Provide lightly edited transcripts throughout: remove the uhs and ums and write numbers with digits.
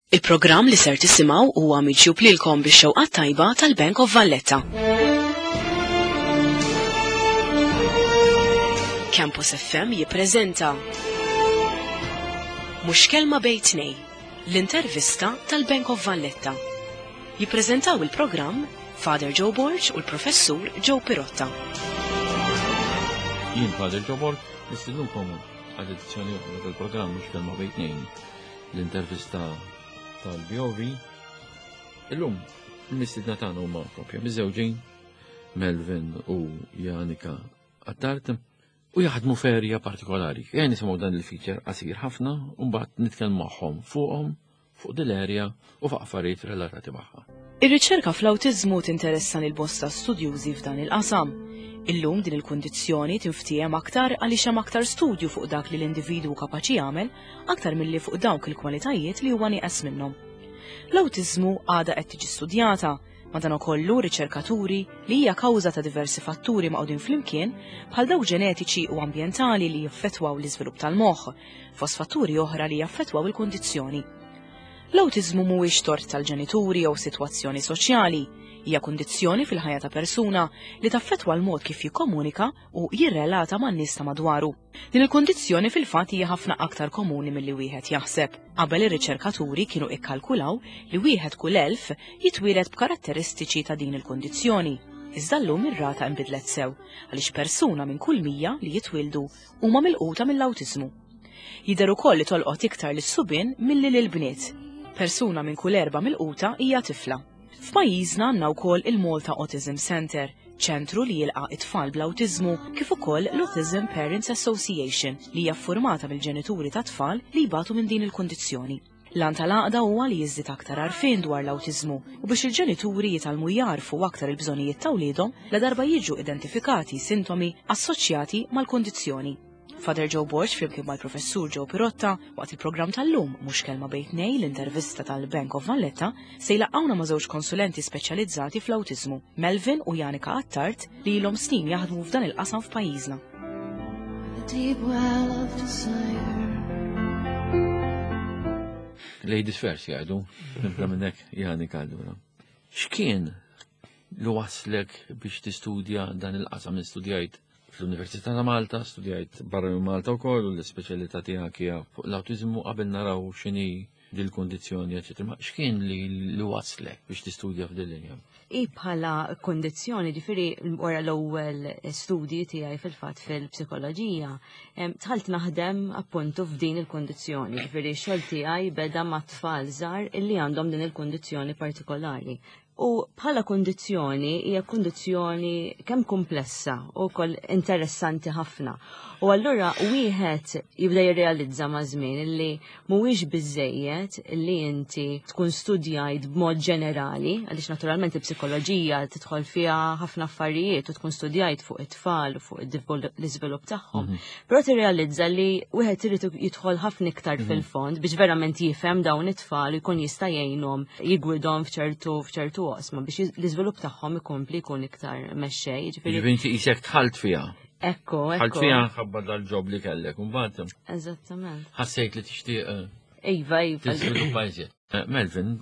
Il-programm li ser tisimgħu huwa miġjub lilkom bix-xewqa tajba tal-Bank of Valletta. Campus FM jippreżenta Mhux kelma bejn tnej, l-intervista tal-Bank of Valletta. Jippreżentaw il-programm Father Joe Borg u l-Professur Joe Pirotta. Jien Father Joe Borg, nistiednukom għal edizzjoni oħra tal-programm Mhux kelma bejn tnejn l-intervista tal-BOV. Illum, il-mistidna tagħna huma propja miżewġin Melvin u Janika Attart u jaħdmu ferja partikolari. Ejja nisimgħu dan il-feature qasir ħafna u mbagħad nitkellmu magħhom fuqhom fuq dil-erja u fuq affarijiet relatati magħha. Ir-riċerka fl-awtiżmu tinteressa lil bosta studjużi f'dan il-qasam. Illum din il-kundizzjoni tinftiehem aktar għaliex hemm aktar studju fuq dak li l-individwu kapaċi jagħmel aktar milli fuq dawk il-kwalitajiet li huwa nieqes minnhom. L-awtiżmu għadha qed tiġi studjata, madankollu riċerkaturi li hija kawża ta' diversi fatturi maqgħudin flimkien bħal dawk ġenetiċi u ambjentali li jaffettwaw l-iżvilupp tal-moħħ, fost fatturi oħra li jaffettwaw il-kundizzjoni. L-awtiżmu mhuwiex tort tal-ġenituri jew sitwazzjoni soċjali, hija kundizzjoni fil-ħajja ta' persuna li taffettwa l-mod kif jikkomunika u jirrelata man-nies ta' madwaru. Din il-kundizzjoni fil-fatt hija ħafna aktar komuni milli wieħed jaħseb. Qabel ir-riċerkaturi kienu ikkalkulaw li wieħed kull 1000 jitwieled b'karatteristiċi ta' din il-kundizzjoni. Iżda llum ir-rata inbidlet sew għaliex persuna minn kull 100 li jitwieldu huma milquta mill-awtiżmu. Jidher ukoll li tolqot iktar lis-subien milli lill-bniet. Persuna minn kull erba' milquta hija tifla. F'pajjiżna għandna wkoll il-Malta Autism Centre, ċentru li jilqa' it-tfal bl-awtiżmu kif ukoll l-Autism Parents Association li hija ffurmata mill-ġenituri ta' tfal li jbatu minn din il-kundizzjoni. L-għan tal-għaqda huwa li jiżdied aktar għarfien dwar l-awtiżmu u biex il-ġenituri jitgħallmu jagħrfu aktar il-bżonnijiet ta' wliedhom ladarba jiġu identifikati sintomi assoċjati mal-kundizzjoni. Father Joe Borg flimkien mal-Professur Joe Pirotta waqt il-programm tal-lum mhux kelma bejn tnejn l-intervista tal-Bank of Valletta se jlaqqgħuna ma' żewġ konsulenti speċjalizzati fl-awtiżmu, Melvin u Janika Attard li ilhom snin jaħdmu f'dan il-qasam f'pajjiżna. Deep well of desire. Ladies first jgħidu, nibda minnek Janika allura. X'kien li waslek biex tistudja dan il-qasam li studjajt fl-Università ta' Malta, studjajt barra minn Malta wkoll u l-ispeċjalità tiegħek hija fuq l-awtiżmu qabel naraw x'inhi dil-kundizzjoni, eċetera. Ma x'kien li li waslek biex tistudja f'din linja? I bħala kundizzjoni, ġifieri wara l-ewwel studji tiegħi fil-fatt fil-psikoloġija, dħalt naħdem appuntu f'din il-kundizzjoni, ġifieri x-xogħol tiegħi beda ma' tfal żgħar illi għandhom din il-kundizzjoni partikolari. U bħala kundizzjoni hija kundizzjoni kemm komplessa u wkoll interessanti ħafna. U allura wieħed jibda jirrealizza ma' żmien li mhuwiex biżejjed li inti tkun studjajt b'mod ġenerali, għaliex naturalment il-psikoloġija tidħol fiha ħafna affarijiet u tkun studjajt fuq it-tfal u fuq l-iżvilupp tagħhom. Mhm. Però tirrealizza li wieħed irid jidħol ħafna iktar mhm. fil-fond biex verament jifhem dawn it-tfal u jkun jista' jgħinhom jigwidhom f'ċertu f'ċertu oqsma biex l-iżvilupp tagħhom ikompli jkun iktar mexxej. Ġifieri inti qisek dħalt fiha. Ekku, ekku. Dħalt fiha ħabba dal-ġob li kellek, imbagħad. Eżattament. Ħassejt li tixtieq eh, Iva, iva. Tiżviluppa iżjed. Eh, Melvin,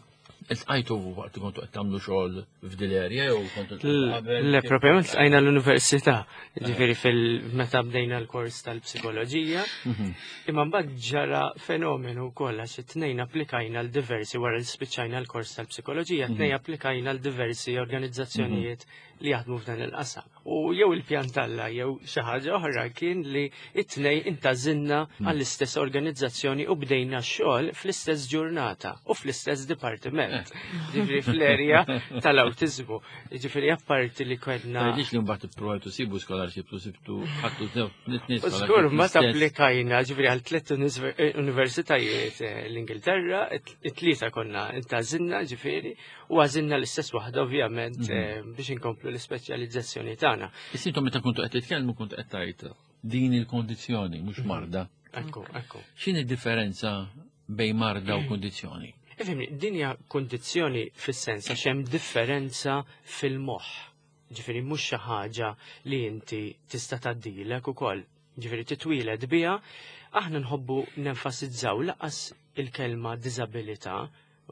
Iltqajtu waqt li kontu qed tagħmlu xogħol f'dil area jew kontu qabel? Le, propjament ltqajna l-università, ġifieri fil-meta bdejna l-kors tal-psikoloġija. Mhm. Imma mbagħad ġara fenomenu wkoll għax it-tnejn applikajna l-diversi wara li spiċċajna l-kors tal-psikoloġija, mhm. tnejn applikajna l-diversi organizzazzjonijiet li jaħdmu f'dan il-qasam. U jew il-pjan talla jew xi ħaġa oħra kien li it-tnej intażinna hmm. għall-istess organizzazzjoni u bdejna x-xogħol fl-istess ġurnata u fl-istess dipartiment. Eh. Ġifieri fl-erja tal-awtiżmu. Ġifieri apparti li kellna. Tgħidlix li mbagħad ippruvajtu sibu scholarship u sibtu ħadtu tliet Żgur ma tapplikajna ġifieri għal tliet eh, universitajiet eh, l-Ingilterra, it-tlieta konna intażinna ġifieri U għażilna l-istess waħda ovvjament mhm. eh, biex inkomplu l-ispeċjalizzazzjoni tagħna. Is-sintom meta kontu qed titkellmu kont qed tgħid din il-kondizzjoni mhux mhm. marda. Ekku, ekku. X'inhi differenza bejn marda u kondizzjoni? Ifhimni, din hija kondizzjoni fis-sens għax hemm differenza fil-moħħ. Ġifieri mhux xi ħaġa li inti tista' tgħaddilek ukoll. Ġifieri titwieled biha, aħna nħobbu nenfasizzaw laqas il-kelma diżabilità.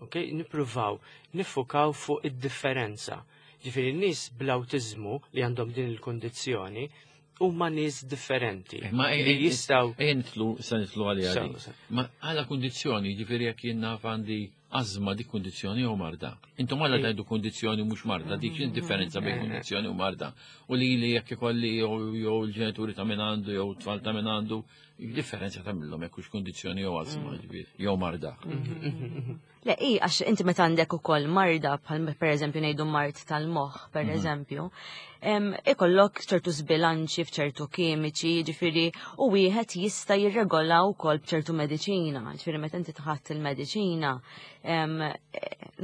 Ok, nippruvaw niffukaw fuq id-differenza. Ġifieri n-nies bl-awtiżmu li għandhom din il-kundizzjoni huma nies differenti. Eh, ma li jistgħu Ejja nitlu se nitlu għalija di. Ma għala kundizzjoni, ġifieri jekk jien naf għandi ażma dik kundizzjoni jew marda. Intom għala tgħidu kundizzjoni mhux marda, dik x'in differenza bejn kundizzjoni u marda. U li li jekk ikolli jew il-ġenituri ta' min għandu jew tfal ta' min għandu, differenza tagħmilhom jekk hux kundizzjoni jew ażma ġifieri jew marda. Le, i, għax inti meta għandek ukoll marda, bħal per eżempju ngħidu mard tal-moħħ, per eżempju, ikollok ċertu żbilanċi f'ċertu kimiċi, ġifieri, u wieħed jista' jirregola wkoll b'ċertu mediċina. Ġifieri meta inti tħadd il-mediċina,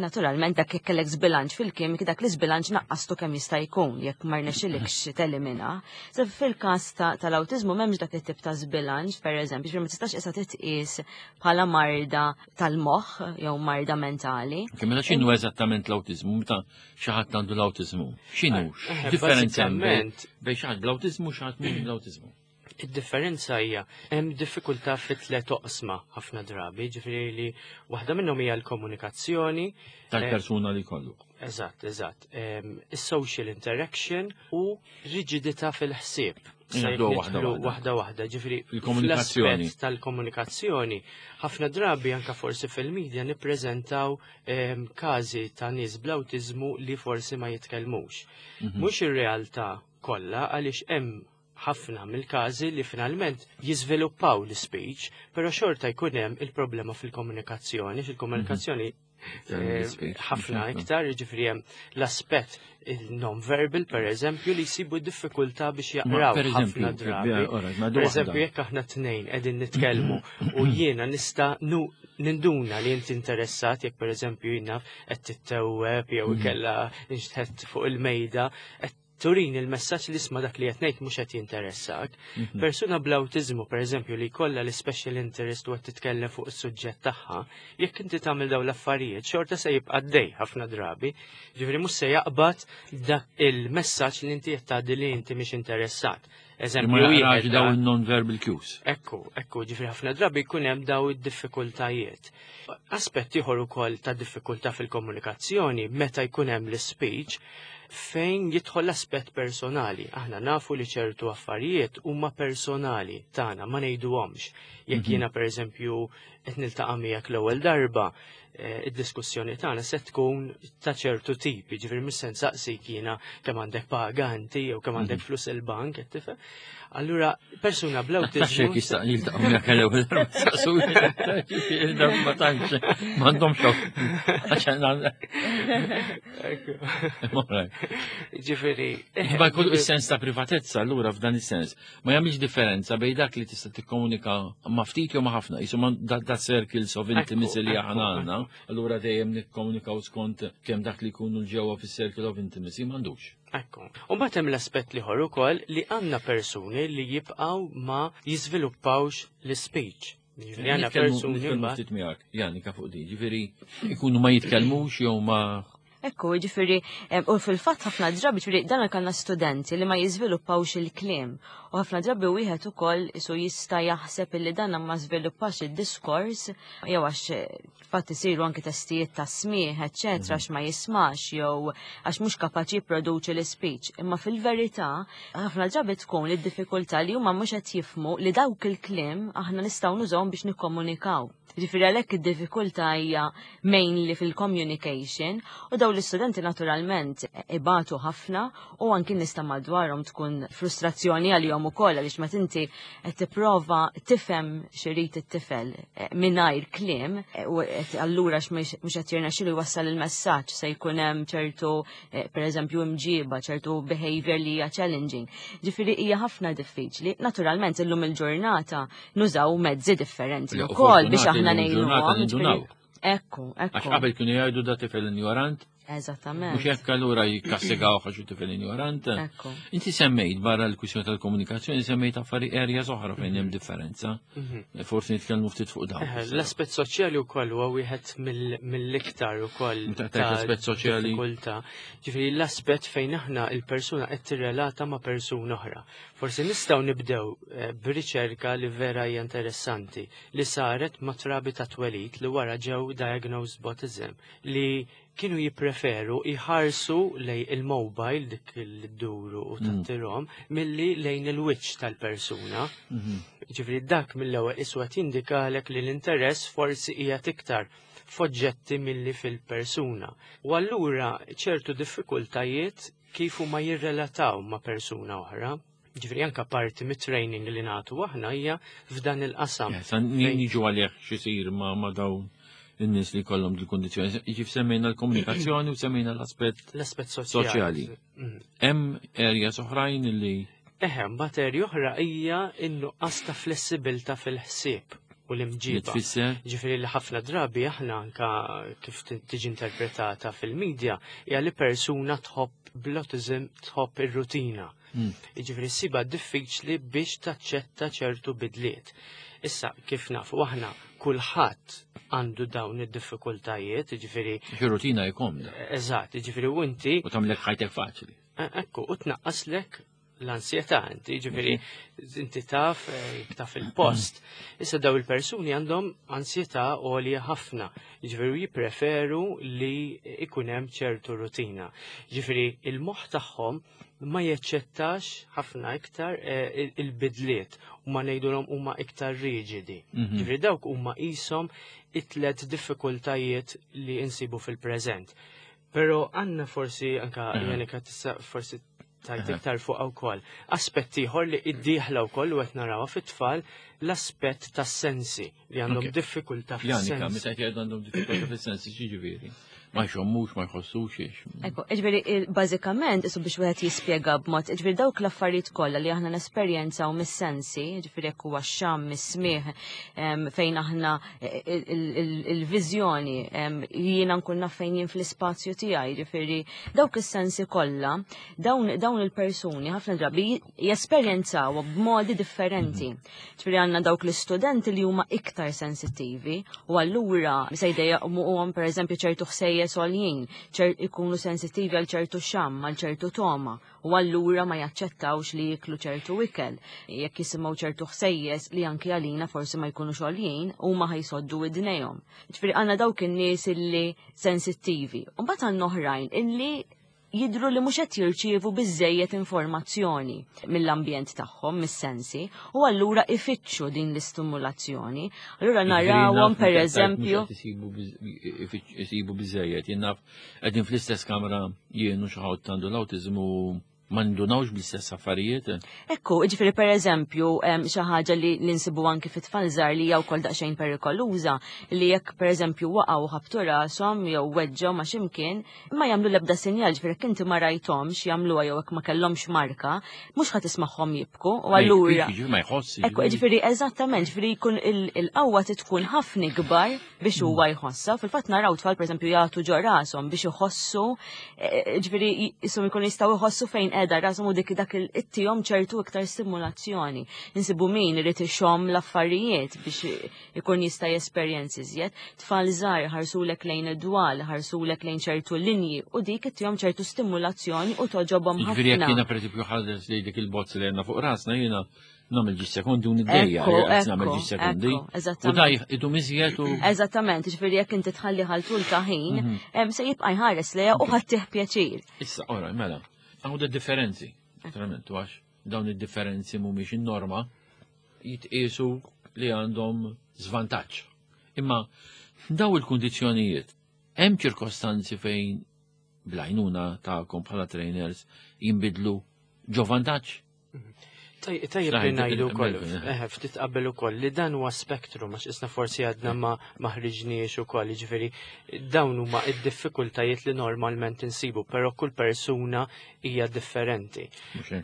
naturalment dak jekk kellek żbilanċ fil-kimiki, dak l-iżbilanċ naqqastu kemm jista' jkun jekk ma rnexxilikx telimina. So fil-każ tal-awtiżmu m'hemmx dak it-tip ta' żbilanċ, per eżempju, ġifieri ma tistax issa titqies bħala marda tal-moħħ jew marda mentali. Kemm mela x'inhu eżattament l-awtiżmu meta xi ħadd għandu l-awtiżmu? X'inhu? Differenza bejn xi ħadd bl-awtiżmu u xi ħadd mhux bl-awtiżmu. Id-differenza hija hemm diffikultà fi tliet oqsma ħafna drabi, ġifieri li waħda minnhom hija l-komunikazzjoni tal-persuna li jkollu. Eżatt, eżatt. Is-social interaction u riġidità fil-ħsieb. Waħda waħda waħda, ġifieri il-komunikazzjoni tal-komunikazzjoni. Ħafna drabi anka forsi fil-medja nippreżentaw każi ta' nies bl-awtiżmu li forsi ma jitkellmux. Mhux ir-realtà kollha għaliex hemm ħafna mill-każi li finalment jiżviluppaw l-speech, però xorta jkun hemm il-problema fil-komunikazzjoni, fil-komunikazzjoni ħafna iktar, jiġifieri hemm l-aspett il-non-verbal, per eżempju, li jsibu diffikultà biex jaqraw ħafna drabi. Per eżempju, jekk aħna tnejn qegħdin nitkellmu u jiena nista' ninduna li inti interessat, jekk per eżempju jiena qed tittewweb jew ikella nxtħet fuq il-mejda, qed turini l-messaġġ li isma' dak li qed ngħid mhux qed jinteressak. Persuna bl-awtiżmu, pereżempju, li jkollha l-special interest u qed titkellem fuq is-suġġett tagħha, jekk inti tagħmel dawn l-affarijiet, xorta se jibqa' għaddej ħafna drabi. Ġifieri mhux se jaqbad dak il-messaġġ li inti qed tgħaddi li inti mhix interessat. Eżempju, ma jaqrax daw il-non-verbal cues. Ekku, ekku, ġifieri ħafna drabi jkun hemm daw id-diffikultajiet. Aspett ieħor ukoll ta' diffikultà fil-komunikazzjoni meta jkun hemm l-speech fejn jidħol l-aspett personali. Aħna nafu li ċertu affarijiet huma personali tagħna ma ngħiduhomx. Jekk jiena pereżempju qed niltaqa' miegħek l-ewwel darba, id-diskussjoni tagħna se tkun ta' ċertu tip, jiġifieri mhux se nsaqsik jiena kemm għandek paga inti jew kemm għandek flus il-bank, qed tifhem? Allura persuna bl-awtiżmu. Tax jekk jista' jiltaqgħu miegħek l-ewwel darba saqsu ma tantx m'għandhomx Ġifieri. Ma jkollu is-sens ta' privatezza allura f'dan is-sens. Ma jagħmilx differenza bejn dak li tista' tikkomunika ma' ftit jew ma' ħafna. Jisu da circles of intimacy li aħna għandna, allura dejjem nikkomunikaw skont kemm dak li jkunu l-ġewwa fis-circle of intimacy m'għandux. Ekku. U mbagħad hemm l-aspett l-ieħor ukoll li għandna persuni li jibqgħu ma jiżviluppawx l-speech. Ġifieri għandna persuni Nitkellmu ftit miegħek, Janika fuq din, ġifieri ikunu ma jitkellmux jew ma Ekku, ġifieri, u fil-fatt ħafna drabi, ġifieri, dan kellna studenti li ma jiżviluppawx il-kliem. U ħafna drabi wieħed ukoll isu jista' jaħseb illi dan ma żviluppax id-diskors, jew għax fatt isiru anki testijiet ta' smigħ, eċċetera, għax ma jismax jew għax mhux kapaċi jipproduċi l-speech. Imma fil-verità, ħafna drabi tkun id-diffikultà li huma mhux qed jifhmu li dawk il-kliem aħna nistgħu nużawhom biex nikkomunikaw. Ġifieri għalhekk id-diffikultà hija mainly fil-communication u dawn l-istudenti naturalment ibatu ħafna u anki nista' madwarhom tkun frustrazzjoni għalihom ukoll għaliex meta inti qed tipprova tifhem x'irid it-tifel mingħajr kliem u qed allura mhux qed jirnexxilu jwassal il-messaġġ se jkun hemm ċertu pereżempju imġiba, ċertu behavior li hija challenging. Ġifieri hija ħafna diffiċli. Naturalment illum il-ġurnata nużaw mezzi differenti Le, wkoll biex fortunati aħna illum il-ġurnata ngħinuhom, nindunaw. ġifieri Ekku, ekku. Għax qabel kienu jgħidu da tifel ignorant. Eżattament. Mhux hekk allura jikkastigaw għax tifel ignorant. Inti semmejt barra l-kwistjoni tal-komunikazzjoni semmejt affari areas oħra fejn hemm differenza. Mhm. Forsi nitkellmu ftit fuq dawn. L-aspett soċjali wkoll huwa wieħed mill-iktar ukoll. L-aspett soċjali. Ġifieri l-aspett fejn aħna il-persuna qed tirrelata ma' persuna oħra. Forsi nistgħu nibdew eh, b'riċerka li vera hija interessanti li saret ma' trabi ta' twelid li wara ġew diagnosed b'autism li kienu jippreferu jħarsu lej il-mobile dik li dduru u tattirhom milli lejn il-wiċċ tal-persuna. Mhm. Ġifieri dak mill-ewwel iswa tindikalek li l-interess forsi qiegħed iktar f'oġġetti milli fil-persuna. U allura ċertu diffikultajiet kif huma jirrelataw ma' persuna oħra. Ġifieri anka parti mit-training li nagħtu aħna hija f'dan il-qasam. Niġu għalih x'isir ma' ma' dawn in-nies li jkollhom dil-kundizzjoni. Ġif semmejna l-komunikazzjoni u semmejna l-aspett l-aspett soċjali. Mm. Hemm areas oħrajn li Eħe, mbagħad area oħra hija n-nuqqas ta' flessibilità fil-ħsieb u l-imġiba. Ġifieri li ħafna drabi aħna anka kif tiġi interpretata fil-medja hija li persuna tħobb bl-autism tħobb ir-rutina. Hmm. Jiġifieri ssibha diffiċli biex taċċetta ċertu bidliet. Issa kif nafu aħna kulħadd għandu dawn id-diffikultajiet, jiġifieri. Rutina jkomda. Eżatt, jiġifieri u inti. U tagħmlek ħajtek faċli. E, ekku, u tnaqqaslek l-ansjetà inti, ġifieri inti taf eh, taf il-post. Issa daw il-persuni għandhom ansjetà għolja ħafna, ġifieri jippreferu li ikun hemm ċertu rutina. Ġifieri il-moħħ tagħhom ma jaċċettax ħafna iktar eh, il-bidliet u ma ngħidulhom huma iktar riġidi. Mhm. Ġifieri dawk huma qishom it-tlet diffikultajiet li insibu fil-preżent. Però għandna forsi anka Janika tista' forsi tajt iktar fuq wkoll. Aspett ieħor li id-dieħla wkoll u qed narawha fit-tfal l-aspett tas-sensi li għandhom diffikultà fis-sensi. Janika, meta jgħidu għandhom diffikultà fis-sensi x'jiġifieri? Ma jxommux, ma jħossux ix. Ekku, ġifieri bażikament isu biex wieħed jispjega b'mod, ġifieri dawk l-affarijiet kollha li aħna nesperjenzaw mis-sensi, ġifieri jekk huwa x-xamm, mis-smigħ, fejn aħna il-viżjoni, jiena nkun naf fejn jien fl-ispazju tiegħi, ġifieri dawk is-sensi kollha, dawn il-persuni ħafna drabi jesperjenzaw b'modi differenti. Ġifieri għandna dawk l-istudenti li huma iktar sensittivi u allura se jdejjaqmuhom pereżempju ċertu ħsejjes għoljin, ikunu sensittivi għal ċertu xamm, għal ċertu toma u allura ma jaċċettawx li jiklu ċertu ikel. Jekk jisimgħu ċertu ħsejjes li anki għalina forsi ma jkunux għoljin, huma ħajsoddu widnejhom. Ġifieri għandna dawk in-nies illi sensittivi. U mbagħad għandna oħrajn illi jidhru li mhux qed jirċievu biżżejjed informazzjoni mill-ambjent tagħhom, mis-sensi, u allura ifittxu din l-istimulazzjoni. Allura narawhom pereżempju. Isibu biżżejjed, jien naf qegħdin fl-istess kamra jien u xi ħadd għandu l-awtiżmu ma ndunawx bl-istess affarijiet. Ekku, ġifieri per eżempju, xi ħaġa li nsibu anki fit-tfal żgħar li hija wkoll daqsxejn perikoluża, li jekk per eżempju waqgħu ħabtu rashom jew weġġgħu ma' x'imkien, ma jagħmlu l-ebda sinjal, ġifieri jekk inti ma rajthomx jagħmluha jew jekk ma kellhomx marka, mhux ħa tismagħhom jibku u allura. Ma jħoss. Ekku, ġifieri eżattament, ġifieri jkun il-qawwa tkun ħafna ikbar biex huwa jħossha. Fil-fatt naraw tfal pereżempju jagħtu ġo rashom biex iħossu, e, e, ġifieri jisom jkunu jistgħu jħossu fejn qiegħda rashom u dik dak il-ittihom ċertu iktar stimulazzjoni. Insibu min irid ixomm l-affarijiet biex ikun jista' jesperjenzi iżjed. Tfal żgħar ħarsulek lejn id-dwal, ħarsulek lejn ċertu linji u dik ittihom ċertu stimulazzjoni u toġobhom ħafna. Ġifieri jekk jiena pereżempju ħares lejn dik il-bozz li għandna fuq rasna jiena nagħmel ġi sekondi u niddejja, nagħmel ġi sekondi. U daj idum iżjed u. Eżattament, ġifieri jekk inti tħalli ħal tul ta' ħin, mhm. se jibqa' jħares lejha u ħadd pjaċir. Issa, ora, mela, għaw differenzi, naturalment, għax dawn id-differenzi mhumiex in-norma, jitqiesu li għandhom żvantaġġ. Imma daw il-kundizzjonijiet hemm ċirkostanzi fejn blajnuna tagħkom bħala trainers jinbidlu ġo vantaġġ? Tajjeb li ngħidu wkoll, eh, ftit qabel ukoll li dan huwa spektrum għax isna forsi għadna ma maħriġniex ukoll, jiġifieri dawn huma id-diffikultajiet li normalment insibu, però kull persuna hija differenti.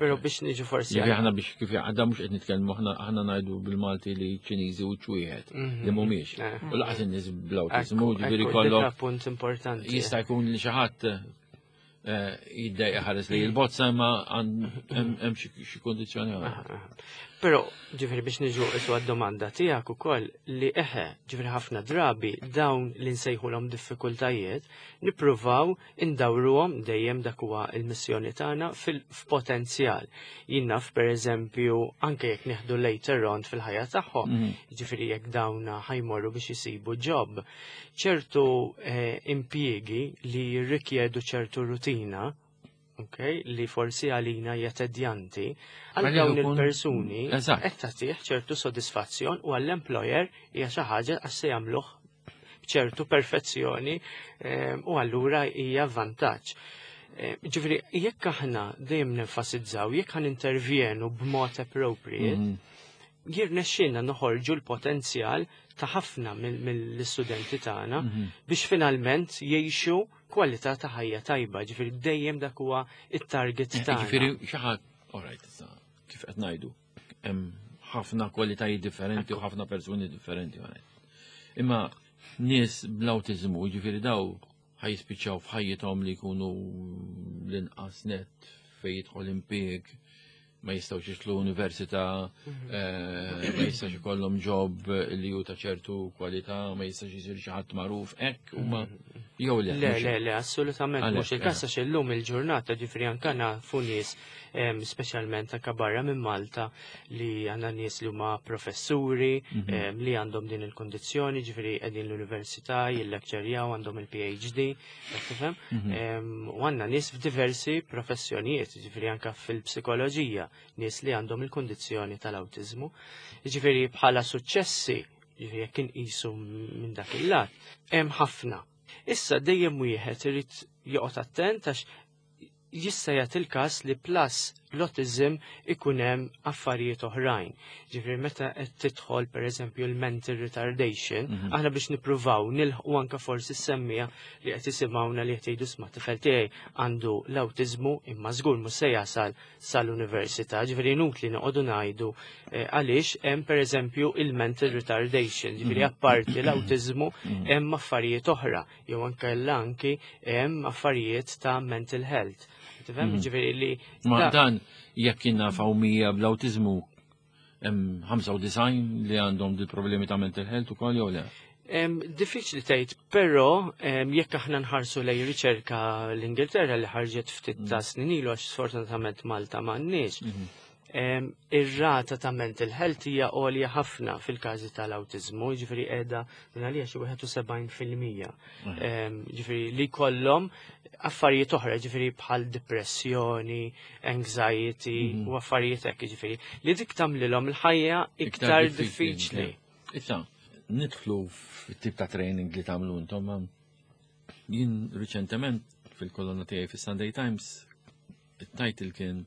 Però biex niġu forsi. Jiġifieri aħna biex kif għadda mhux qed nitkellmu aħna aħna ngħidu bil-Malti li Ċiniżi u ċwieħed mhm. li mhumiex. Eh. U laqas in-nies bl-awtiżmu, ġifieri kollok. Punt importanti. Jista' jkun li xi ħadd Eh, jiddejqa ħares li il-bozza imma hemm xi kundizzjoni oħra. Però ġifieri biex niġu isu għad-domanda tiegħek ukoll li eħe ġifieri ħafna drabi dawn li nsejħulhom diffikultajiet nippruvaw indawruhom dejjem dak huwa l-missjoni tagħna fil-potenzjal. Jien naf pereżempju anke jekk nieħdu later on fil-ħajja tagħhom, mhm. ġifieri jekk dawn ħajmorru biex isibu job ċertu eh, impjiegi li jirrikjedu ċertu rutina, okay, li forsi għalina hija tedjanti, għal dawn il-persuni qed tagħtih ċertu sodisfazzjon u għall-employer hija xi ħaġa għax se jagħmluh b'ċertu perfezzjoni eh, u allura hija vantaġġ. Eh, ġifieri, jekk aħna dejjem nenfasizzaw, jekk ħan intervjenu b'mod appropriate, mm. Jirnexxielna noħorġu l-potenzjal ta' ħafna mill-istudenti tagħna mhm. biex finalment jgħixu kwalità ta' ħajja tajba, ġifieri dejjem dak huwa it-target eh, tagħna. Ġifieri xi ħadd, alright, kif qed ngħidu, hemm ħafna kwalitajiet differenti u ħafna persuni differenti. Imma nies bl-awtiżmu, ġifieri daw ħajspiċċaw f'ħajjithom li jkunu l-inqas net fejn jidħol impieg, ma jistgħux jidħlu università, mhm. eh, ma jistax ikollhom job li hu ta' ċertu kwalità, ma jistax jisir xi ħadd magħruf hekk huma mhm. jew le. Le, le, le, assolutament mhux il-każ għax illum il-ġurnata ġifri anke nafu nies speċjalment anke barra minn Malta li għandna nies li huma professuri mhm. li għandhom din il-kondizzjoni, ġifri qegħdin l-università, jillekċerjaw għandhom il-PhD, tifhem? Mhm. U għandna nies f'diversi professjonijiet, ġifri anke fil-psikoloġija, nies li għandhom il-kondizzjoni tal-awtiżmu. Ġifri bħala suċċessi, ġifri jekk inqisu minn dak il-lat, hemm ħafna. Issa dejjem wieħed irid joqgħod attent għax jista' jagħti l-każ li plus l-autism ikun hemm affarijiet oħrajn. Ġifieri meta qed tidħol pereżempju l-mental retardation, mhm. aħna biex nippruvaw nilħqu anke forsi semmija li qed isimgħuna li qed jgħidu sma' tifel tiegħi għandu l-awtiżmu imma żgur mhux se jasal sal-università, ġifieri inutli noqogħdu ngħidu eh, għaliex hemm pereżempju il-mental retardation, ġifieri mhm. apparti l-awtiżmu mhm. hemm affarijiet oħra jew ankella anki hemm affarijiet ta' mental health. Tifhem mhm. ġifieri li Ma dan jekk kien naf mija bl-awtiżmu hemm 95 li għandhom di problemi ta' mental health ukoll jew le? Diffiċli tgħid, però jekk aħna nħarsu lej riċerka l-Ingilterra li ħarġet ftit ta' mm. snin ilu għax sfortunatament Malta m'għandniex. Mhm. Ir-rata ta' mental health hija għolja ħafna fil-każi tal-awtiżmu, jiġifieri qiegħda minn għalija xi 71%. Jiġifieri li jkollhom affarijiet oħra, jiġifieri bħal depressjoni, anxiety mhm. u affarijiet hekk, jiġifieri li dik tagħmlilhom il-ħajja iktar diffiċli. Issa, nidħlu fit-tip ta' training li tagħmlu intom. Jien riċentement fil-kolonna tiegħi fis-Sunday Times it-title kien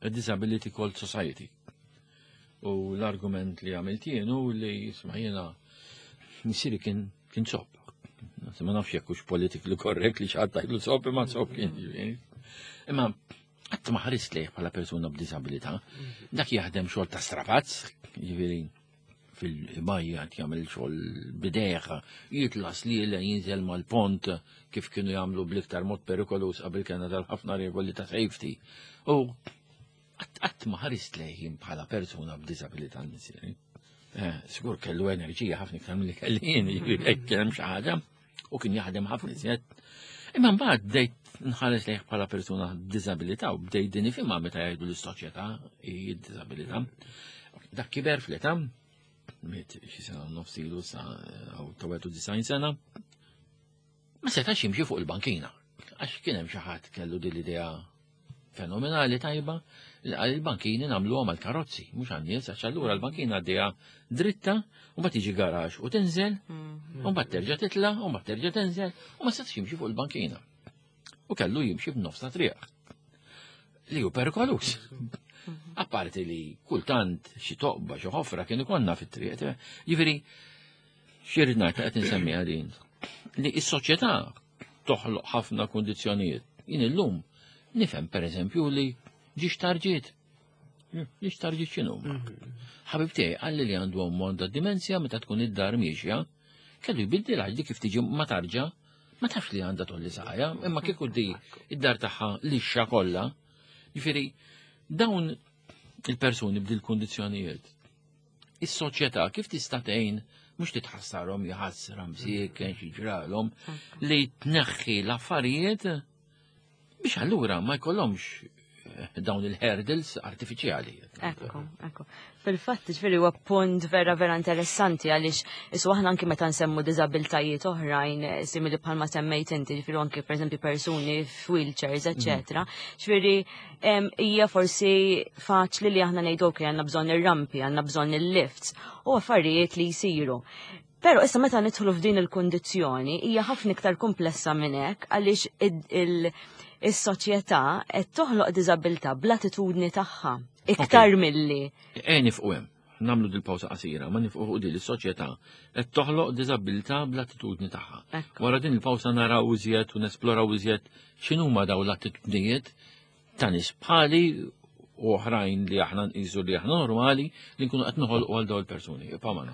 A Disability Called Society. U l-argument li għamilt jien u li jisma' jiena missieri kien kien sob. Ma nafx jekk hux politically correct li xi ħadd sob imma sob kien. Imma qatt ma ħarist lejh bħala persuna b'disabilità. Dak jaħdem xogħol ta' strapazz, jiġifieri fil-bajja jagħmel xogħol bidejh, jitla' sliela jinżel mal-pont kif kienu jagħmlu bl-iktar mod perikolus qabel kellna tal-ħafna regoli ta' safety. U qatt ma ħarist lejn bħala persuna b'disabilità l-missieri. Eh, sigur kellu enerġija ħafna iktar milli kelli jien, jiġifieri kien hemm xi ħaġa u kien jaħdem ħafna iżjed. Imma mbagħad bdejt nħares lejh bħala persuna b'diżabilità u bdejt din ifhimha meta jgħidu l-soċjetà hi d-diżabilità. Dak kiber fl-età, miet xi sena nofs ilu sa ta' 91 sena, ma setax jimxi fuq il-bankina. Għax kien hemm xi ħadd kellu din l-idea fenomenali tajba li għal il-bankini nagħmluhom għal karozzi, mhux għan-nies, għax allura l-bankina għaddejja dritta u mbagħad tiġi garax u tinżel, u mbagħad terġa' titla' u mbagħad terġa' tinżel u ma setax jimxi fuq il-bankina. U kellu jimxi f'nofs ta' triq. Li hu perikolus. Apparti li kultant xi toqba xi ħofra kien ikollna fit-triq. Jiġifieri xi rrid ngħid qed insemmiha din li s-soċjetà toħloq ħafna kundizzjonijiet. Jien illum nifhem pereżempju li ġiex tarġiet. Ġiex tarġiet x'inhu. Ħabib tiegħi qalli li għandu ommu għandha dimensja meta tkun id-dar miexja, kellu jbiddil għax dik kif tiġi ma tarġa, ma tafx li għandha tolli saqajja, imma kieku di id-dar tagħha lixxa kollha. Jiġifieri dawn il-persuni b'dil kundizzjonijiet is-soċjetà kif tista' tgħin mhux titħassarhom jħassra msieken xi ġralhom li tneħħi l-affarijiet biex allura ma jkollhomx eh, dawn il-hurdles artifiċjali. Ekku, ekku. Fil-fatt, ġifieri huwa punt vera vera interessanti għaliex isu aħna anki meta nsemmu diżabiltajiet oħrajn eh, simili bħalma semmejt inti, ġifieri anki pereżempju persuni f'wheelchairs, eċetera. Ġifieri hija forsi faċli li aħna ngħidu ok għandna bżonn ir-rampi, għandna bżonn il-lifts u affarijiet li jsiru. Però issa meta nidħlu f'din il-kundizzjoni hija ħafna iktar komplessa minn hekk għaliex is-soċjetà qed toħloq diżabilità bl-attitudni tagħha iktar milli. Eh nifqu hemm. Nagħmlu dil-pawsa qasira, ma nifqu fuq din is-soċjetà qed toħloq diżabilità bl-attitudni tagħha. Wara din il-pawsa naraw iżjed u nesploraw iżjed x'inhuma dawn l-attitudnijiet ta' nies bħali u oħrajn li aħna nqisu li aħna normali li nkunu qed noħolqu għal dawn il-persuni. Ibqa' magħna.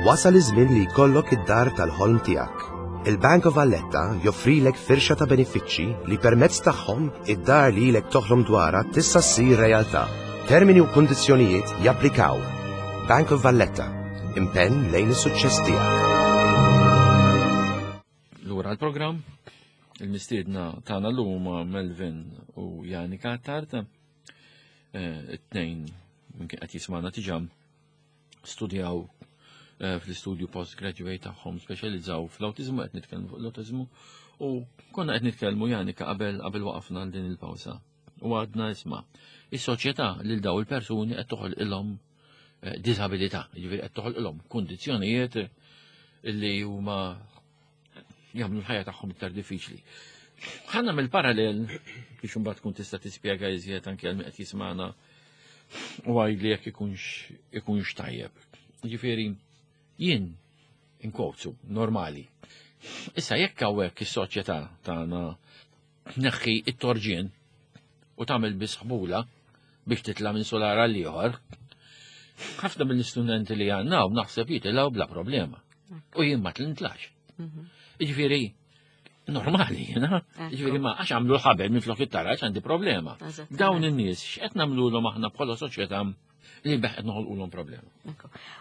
Wasal iż-żmien li jkollok id-dar tal-ħolm tiegħek. Il-Bank of Valletta joffrilek firxa ta' benefiċċji li permezz tagħhom id-dar li ilek toħlom dwarha tista' ssir realtà. Termini u kundizzjonijiet japplikaw. Bank of Valletta, impenn lejn is-suċċess tiegħek. Lura l-programm, il-mistiedna tagħna llum huma Melvin u Janika Attard. Eh, it-tnejn minn kien qed jismagħna diġà studjaw eh, fl-istudju postgraduate tagħhom speċjalizzaw fl-awtiżmu qed nitkellmu fuq l-awtiżmu u konna qed nitkellmu Janika qabel qabel waqafna għal din il-pawsa. U għadna isma' is-soċjetà lil daw il-persuni qed toħolqilhom eh, disabilità, jiġifieri qed toħolqilhom kundizzjonijiet li huma jagħmlu l-ħajja tagħhom iktar diffiċli. Ħa nagħmel parallel biex imbagħad tkun tista' tispjega iżjed anke għal min qed jismagħna u għajdli jekk ikunx ikunx tajjeb. Ġifieri jien inkowzu normali. Issa jekk hawnhekk is-soċjetà tagħna tneħħi it-torġien u tagħmel biss ħbula biex titla' minn sular għal ieħor, ħafna mill-istudenti li għandna u naħseb jitilgħu bla problema. U jien ma tlintlax. Mhm. Jiġifieri normali, jena. Jiġifieri ma għax għamlu l-ħabel minn flok it-taraġ għandi problema. Dawn in-nies x'qed nagħmluhom aħna bħala soċjetà li beħ qed noħolqulhom problema.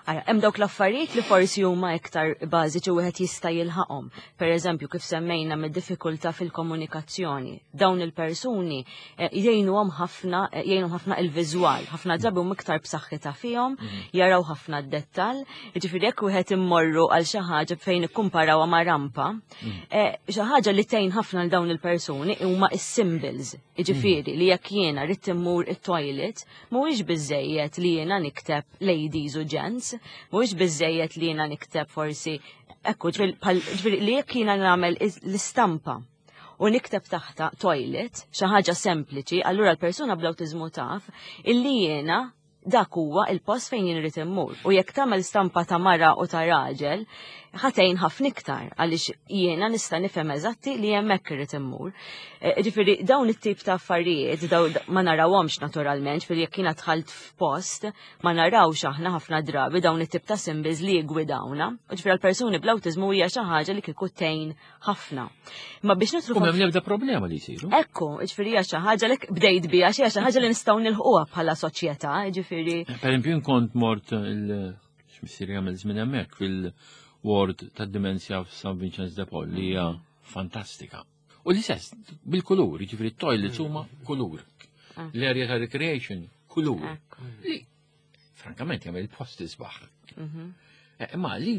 Ara, hemm dawk l-affarijiet li forsi huma iktar bażiċi wieħed jista' jilħaqhom. Per eżempju, kif semmejna mid-diffikultà fil-komunikazzjoni. Dawn il-persuni eh, jgħinuhom ħafna, eh, jgħinuhom ħafna il-viżwal, ħafna drabi huma iktar b'saħħitha fihom, mhm. jaraw ħafna d-dettall. Jiġifieri jekk wieħed immorru għal xi ħaġa fejn ikkumparawha ma' rampa, mhm. eh, xi ħaġa li tgħin ħafna l dawn il-persuni huma is-symbols. Jiġifieri li jekk jiena rrid immur it-toilet, Mhuwiex biżejjed li jiena nikteb ladies u gents, mhuwiex biżejjed li jiena nikteb forsi ekku ġifieri li jekk jiena nagħmel l-istampa u nikteb taħta toilet, xi ħaġa sempliċi, allura l-persuna bl-awtiżmu taf illi jiena dak huwa il-post fejn jien irid immur. U jekk tagħmel stampa ta' mara u ta' raġel, ħatejn ħafna iktar għaliex jiena nista' nifhem eżatti li hemmhekk irid immur. Eh, ġifieri dawn it-tip ta' affarijiet daw ma narawhomx naturalment, ġifieri jekk jiena dħalt f'post ma narawx aħna ħafna drabi dawn it-tip ta' symbols li jiggwidawna. U ġifieri għall-persuni bl-awtiżmu hija xi ħaġa li kieku tgħin ħafna. Ma biex nidħlu U m'hemm l-ebda problema li jsiru. Ekku, ġifieri hija xi ħaġa li bdejt biha xi ħaġa li nistgħu nilħquha bħala soċjetà, ġifieri. Per eżempju, kont mort il x'missieri jagħmel żmien hemmhekk fil-ward tad-dimensja f'San Vincenz de Paul li hija fantastika. U l-istess bil-kulur, jiġifieri t-toilets huma kulur. Ah. L-area ta' recreation kulur. Li frankament jagħmel il-post isbaħ. Mhm. Imma li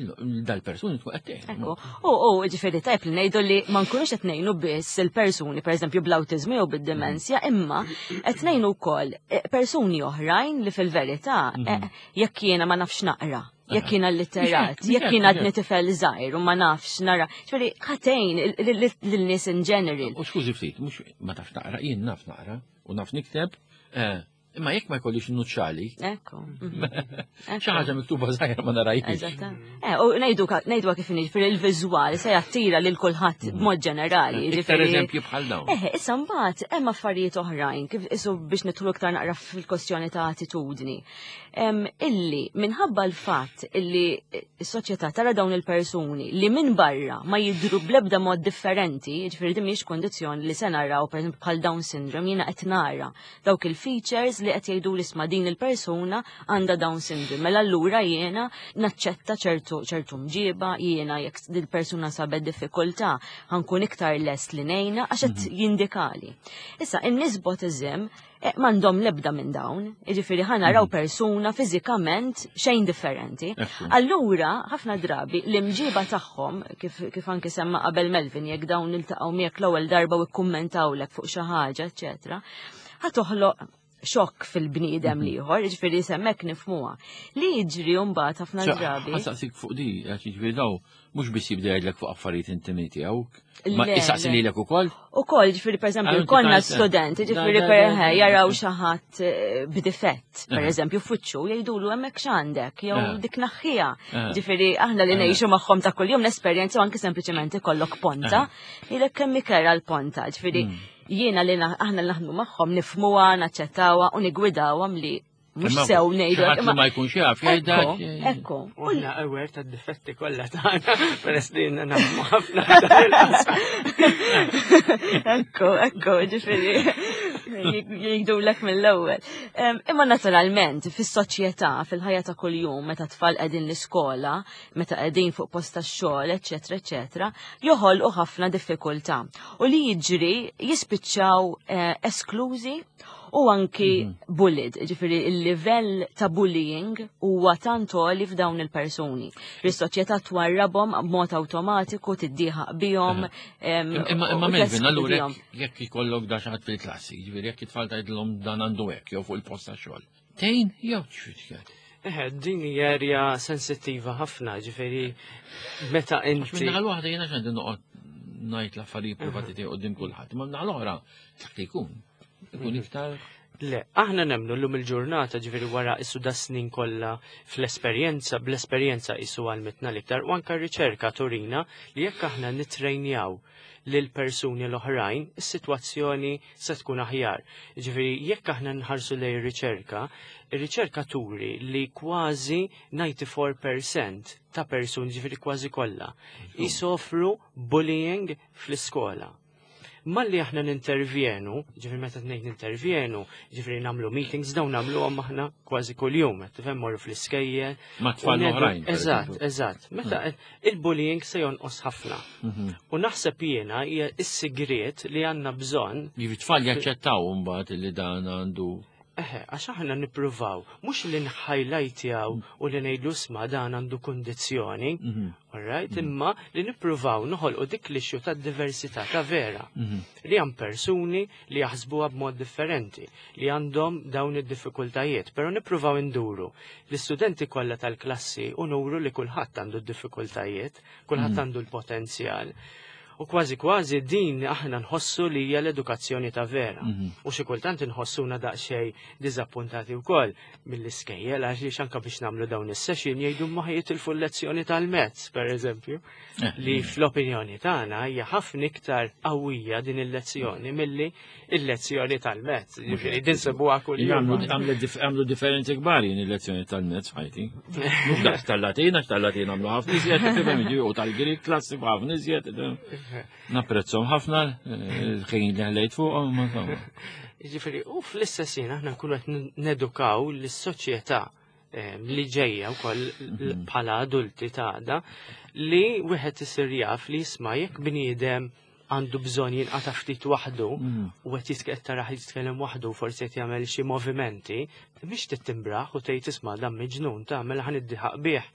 dal-persuni tkun qed tgħin. Ekku. U ġifieri tajb li ngħidu li ma nkunux qed ngħinu biss il-persuni, pereżempju bl-awtiżmu jew bid-dimensja, imma qed ngħinu wkoll persuni oħrajn li fil-verità jekk jiena ma nafx naqra, jekk jiena allitterat, jekk jiena għadni tifel żgħir u ma nafx nara. Ġifieri ħatejn lin-nies in general. U skużi ftit, mhux ma tafx naqra, jien naf naqra u naf nikteb, imma jekk ma jkollix nuċċali. Ekku. Xi ħaġa miktuba żgħira ma narajx. Eżatt. U ngħidu kif inhi, ġifieri il-viżwal se jattira lil kulħadd b'mod ġenerali, Iktar ġifieri eżempji bħal dawn. Issa mbagħad hemm affarijiet oħrajn kif isu biex nidħlu iktar naqra fil-kwestjoni ta' attitudni. Illi minħabba l-fatt illi s-soċjetà tara dawn il-persuni li minn barra ma jidhru bl-ebda mod differenti, ġifieri din mhijiex kondizzjoni li se naraw pereżempju bħal Down syndrome, jiena qed nara dawk il-features li qed jgħidu li isma' din il-persuna għandha Down syndrome. Mela allura jiena naċċetta ċertu mġiba, jiena jekk din il-persuna sabet diffikultà ħankun iktar lest li ngħinha għax qed jindikali. Issa in-nies b'autism m'għandhom l-ebda minn dawn, jiġifieri ħa naraw persuna fiżikament xejn differenti. Allura ħafna drabi l-imġiba tagħhom, kif anki semma qabel Melvin, jekk dawn iltaqgħu miegħek l-ewwel darba u kkummentawlek fuq xi ħaġa, eċċetera, ħa toħloq xokk fil-bniedem liħor, jiġifieri semmek nifmuha. Li jiġri mbagħad ħafna drabi. Ħasaqsik fuq di, għax jiġifieri daw mhux biss jibda jgħidlek fuq affarijiet intimi tiegħu, ma Le, jisaqsi le. lilek ukoll? Ukoll, jiġifieri pereżempju, Għal inti konna tajt, studenti, Da, jiġifieri da, per da, eħe, da, jaraw da. xi ħadd b'difett, per eżempju, f'wiċċu, jgħidulu hemmhekk x'għandek, jew dik naħħija. Jiġifieri aħna li ngħixu magħhom ta' kuljum l-esperjenza u anke sempliċement ikollok ponta, jgħidlek kemm ikera l-ponta, jiġifieri jiena li aħna li naħdmu magħhom nifhmuha, naċċettawha u nigwidawhom li mhux Imma sew ngħidu xi ħadd li imma ma jkunx jaf, jgħidha Ekku, xi- ekku. U aħna aware tad-difetti kollha tagħna, peress li jiena naħdmu ħafna f'dan il-qasam. Ekku, ekku, ġifieri jgħidulek mill-ewwel. Imma naturalment fis-soċjetà, fil-ħajja ta' kuljum, meta tfal qegħdin l-iskola, meta qegħdin fuq post tax-xogħol, eċċetera, eċċetera, joħolqu ħafna diffikultà. U li jiġri jispiċċaw esklużi u anki bullied, ġifieri il-livell ta' bullying huwa tant għoli f'dawn il-persuni. Is-soċjetà twarrabhom b'mod awtomatiku, tiddieħaq bihom, Imma u Melvin, allura teskludihom. jekk ikollok da xi ħadd fil-klassi, ġifieri jekk it-tfal tgħidilhom dan għandu hekk jew fuq il-post tax-xogħol. Tgħin jew x'fitxed? Eħe, din hija erja sensittiva ħafna, ġifieri meta Għax inti minn naħa l-waħda jiena x'għandi noqgħod ngħid l-affarijiet privati tiegħi quddiem kulħadd, imma minn naħa l-oħra dak li jkun. Ikun iktar Le, aħna nemmnu llum il-ġurnata, ġifieri wara issu da snin kollha fl-esperjenza, bl-esperjenza issu għalmitna l-iktar, u anka r-riċerka turina li jekk aħna nitrejnjaw lil persuni l-oħrajn, is-sitwazzjoni se tkun aħjar. Ġifieri jekk aħna nħarsu lejn ir-riċerka, ir-riċerka turi li kważi 94% ta' persuni, ġifieri kważi kollha, jisofru bullying fl-iskola. Malli aħna nintervjenu, ġifieri meta ngħid nintervjenu, ġifieri nagħmlu meetings, dawn nagħmluhom aħna kważi kuljum, qed tifhem, morru fl-iskejjel. Ma' tfal u ngħidu- oħrajn, per Eżatt, eżempju. eżatt. Meta il-bullying se jonqos ħafna. U naħseb jiena hija s-sigriet li għandna bżonn. Jiġifieri tfal jaċċettaw mbagħad li dan għandu. Eħe, għax aħna nippruvaw, mhux li nħajlajtjaw u li ngħidu sma dan għandu kundizzjoni, all right, imma li nippruvaw noħolqu dik l-issue ta' diversità ta' vera. Li hemm persuni li jaħsbuha b'mod differenti, li għandhom dawn id-diffikultajiet, però nippruvaw induru l-istudenti kollha tal-klassi u nuru li kulħadd għandu d-diffikultajiet, kulħadd għandu l-potenzjal. U kważi kważi din aħna nħossu li hija l-edukazzjoni ta' vera. U xi kultant inħossuna daqsxejn diżappuntati wkoll mill-iskejjel għax anke biex nagħmlu dawn is-session jgħidu ma jitilfu l-lezzjoni tal-mezz, per eżempju, li fl-opinjoni tagħna hija ħafna iktar qawwija din il-lezzjoni milli il-lezzjoni tal-mezz. Ġifieri din sebuha kuljum. Għamlu differenzi kbar jien il-lezzjoni tal-mezz ħajti. Mhux daqs tal-Latin, għax tal-Latin għamlu ħafna iżjed, tifhem, jiġifieri, u tal-Grik klassi ħafna iżjed. Napprezzhom ħafna il-ħin li ħlejt fuqhom, ma insomma. Jiġifieri, u fl-istess ħin aħna nkunu qed nedukaw lis-soċjetà li ġejja wkoll bħala adulti ta' għada li wieħed isir jaf li jisma' jekk bniedem għandu bżonn jinqata' ftit waħdu u qed jitkellem taraħ jitkellem waħdu forsi qed jagħmel xi movimenti, mhix tittimbraħ u tgħid isma' dan miġnun ta' mela ħa niddiħaq bih,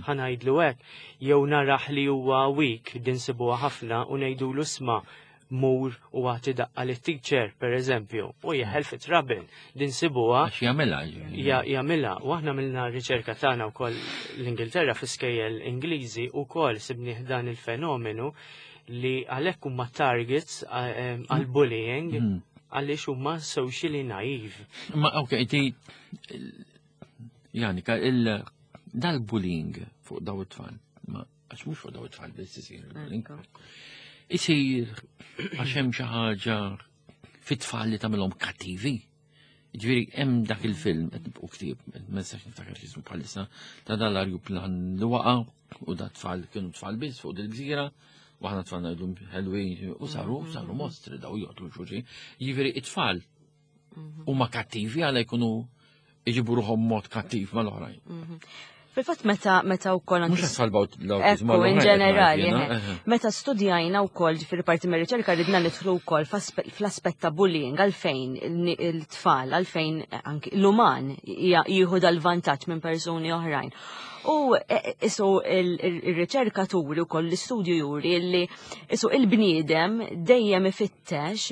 ħa ngħidlu hekk, jew naraħ li huwa weak din sibuha ħafna u ngħidulu isma' mur u għati daqqa li teacher per eżempju, u jeħel fi trouble, din sibuha. Għax jagħmilha. Jagħmilha, u aħna għamilna riċerka tagħna wkoll l-Ingilterra fi skejjel Ingliżi wkoll sibnieh dan il-fenomenu li għalhekk huma targets għal bullying għaliex huma socially naive. Ma ok, inti Janika, il dal-bullying fuq daw it-tfal, ma għax mhux fuq daw it-tfal biss isir il-bullying. Isir għax hemm xi ħaġa fit-tfal li tagħmilhom kattivi. Ġifieri hemm dak il-film qed nibqgħu ktieb, ma nistax niftakar x'ismu bħalissa, ta' dal-arjuplan li waqa' u da tfal kienu tfal biss fuq dil-gżira, u aħna tfal ngħidu ħelwin u saru saru mostri daw joqtlu xulxin. Jiġifieri it-tfal huma kattivi għala jkunu iġibu ruħhom mod kattiv mal-oħrajn. Fil-fatt meta meta wkoll Mhux għas-salbaw l-awtiżmu in ġenerali, meta studjajna wkoll ġifieri parti mir-riċerka ridna nidħlu wkoll fl-aspett ta' bullying għalfejn il-tfal, għalfejn anki l-uman jieħu dal-vantaġġ minn persuni oħrajn. U e, e, isu il-riċerka turi wkoll l-istudju juri li isu il-bniedem dejjem ifittex